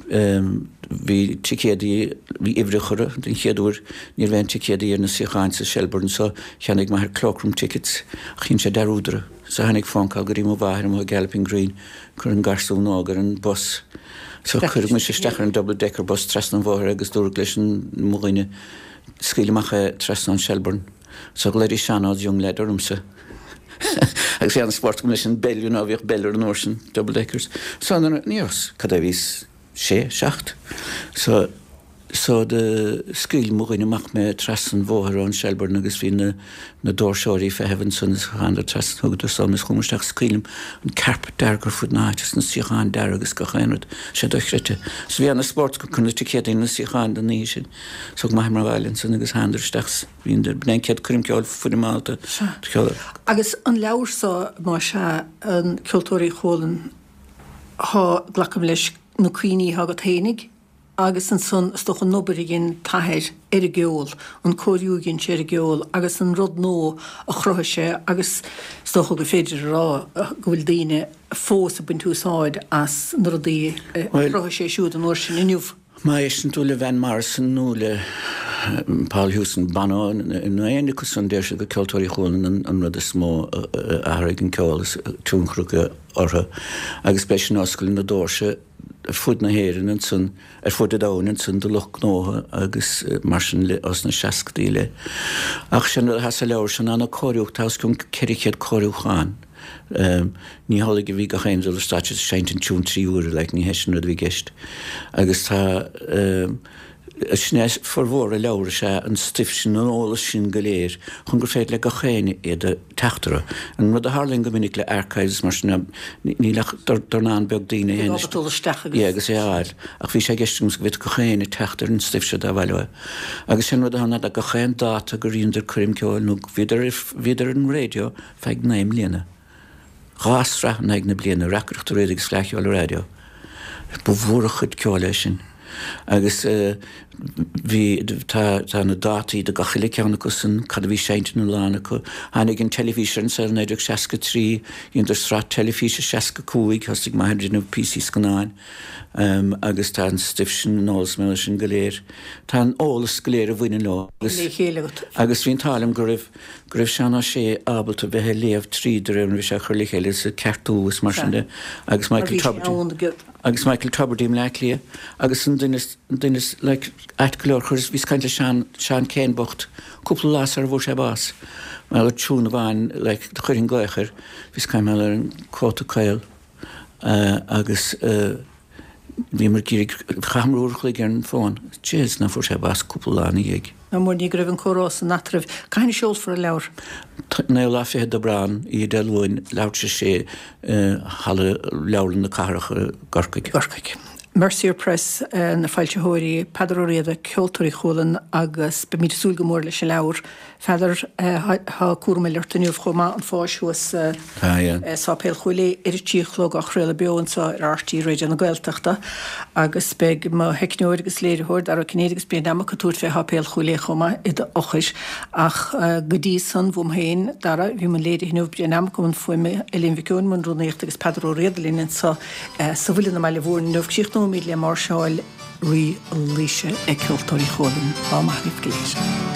bhí ticéadaí, bhí uimhreacha orthu den chéad uair, ní raibh aon ticéadaí ar na suíocháin sa Shelbourne so cheannaigh m'athair cloakroom tickets ach dhein sé dearúd orthu. So tháinig phone call go dtí mo mháthair amuigh i Galloping Green, cuir an garsún óg ar an bus. So cuireadh mise isteach ar an double decker bus trasna an bhóthair agus dúradh leis an mo dhuine scaoil amach é trasna an Shelbourne. So ghlaoidís Seán Ó's young lad ormsa. Agus bhí an-spórt agam leis an bpeil, you know, bhíodh peil ar an uair sin, double deckers. So nuair a, ní raibh, cad é a bhíos, sé, seacht. So, so do scaoil mo dhuine amach mé trasna an bhóthair ón Shelbourne agus bhí na, na doirseoirí ag feitheamh ansan is thánadar trasna, thugadar san is chuamar isteach is cuimhin liom an carpet dearg ar fud na háite is na suíocháin dearg agus gach aon rud, sé dochreidte. So bhí an-spórt agam cur na ticéadaí na suíocháin don oíche sin. So thug m'athair mé abhaile ansan agus thánadar isteach is bhí an, b'in é an chéad coirm ceoil foirmeálta do cheol. Agus an leabhar so, más ea, an Ceoltóirí Chualann, thá, glacaim leis, na cuimhní thá agat fhéinig agus ansan is dócha an obair a dhein t'athair ar an gceol, an cóiriú a dhein sé ar an gceol agus an rud nua a chruthaigh sé agus is dócha gur féidir a rá go bhfuil daoine fós ag baint úsáid as na rudaí a chruthaigh sé siúd an uair sin inniu. Má éisteann tú le Van Morrison nó le Paul Hewson, Bono nó éinne acu san deir siad gur Ceoltóirí Chualann an rud is mó a athraigh an ceol is tionchar acu orthu agus b'é sin a oscail na doirse ar fud na hÉireann ansan, ar fud an domhain ansan do lucht gnótha agus mar sin le ós na seascadaí i leith. Ach sin rud atá sa leabhar seo ná na cóiriúch, tá os cionn ceithre chéad cóiriúchán. Ní hamhlaidh a bhí gach aon dul ar stáitse ag seinnt an tiún trí huaire, like, ní hé sin rud a bhí i gceist. Agus tá, Sin é formhór an leabhair, is ea an stuif sin, an eolas sin go léir, chun gur féidir le gach éinne iad a teacht orthu. An rud a tharlaíonn go minic le archives mar sin ná níl ach dornán beag daoine a théann isteach yeah, agus é a fháil. Ach bhí sé i gceist agam go bhféadfadh gach éinne teacht ar an stuif seo dá mhaith leo é. Agus sin rud atá ann ná gach aon dáta gur dheineadar coirm ceoil nó bhíodar bhíodar ar an raidió feadh naoi mbliana. Dhá sraith in aghaidh na bliana, Reacaireacht an Raidió agus Fleadh Cheoil an Raidió. Ba mhór an chuid ceoil é sin. Agus bhí, tá, tá na dátaí do gach uile ceann acu san, cad a bhí seinnte na lá acu. Tháinig an teilifís ar an saol i naoi déag seasca trí, dheineadar sraith teilifíse seasca cúig, thosaigh m'athair ag déanamh píosaí scannáin agus tá an stuif sin, an eolas mar sin go léir, tá an eolas go léir a bhaineann leo agus, Le chéile agat. agus bhí an t-ádh liom go raibh, go raibh Seán Ó Sé ábalta bheith ag léamh tríd de réir mar a bhí sé á chur le chéile is ag ceartú is mar sin de agus Michael Tubridy. Agus Michael Tubridy i mBleá Cliath agus an duine is, an duine is, like, ait go leor, chuireas, bhíos ag caint le Seán, Seán Keane bocht, cúpla lá sara bhfuair sé bás, mar gheall ar tiún amháin, like, do chuirfinn glaoch air, bhíos ag caint mar gheall ar an cóta caol, eh, agus, eh, bhíomar ag iarraidh, chaitheamar uair a chloig ar an bhfón, jeez, ná fuair sé bás cúpla lá ina dhiaidh. Ná mór ní go raibh an comhrá san eatarthu. Cathain a seolfar an leabhar? Naoú lá fichead d'Aibreán, oíche Dé Luain, leathuair tar éis a sé i Halla Leabharlann na Cathrach i gCorcaigh. gCorcaigh. Mercier Press na foilsitheoirí, Peadar Ó Riada, Ceoltóirí Chualann agus beimid ag súil go mór leis an leabhar. Pheadair, tá cúram eile ort inniu chomh maith, an pháis thuas i Sáipéal Chúil Aodha ar a trí a chlog á chraoladh beo anseo ar RTÉ Raidió na Gaeltachta agus beidh mo theicneoir agus léiritheoir, Dara Ó Cinnéide agus Brian Dimmock ag tabhairt fé Sháipéal Chúil Aodha chomh maith i d'fhochair. Ach go dtí san, bhuam féin, Dara, bhí i mbun léirithe inniu, Brian Dimmock i mbun fuaime, Eileen Mhic Eoin i mbun rúnaíochta agus Peadar Ó Riada linn anseo sa Mhuileann i mBaile Mhúirne inniu. Críochnóimid le máirseáil Rí Laoise ag Ceoltóirí Chualann. Lá maith agaibh go léir.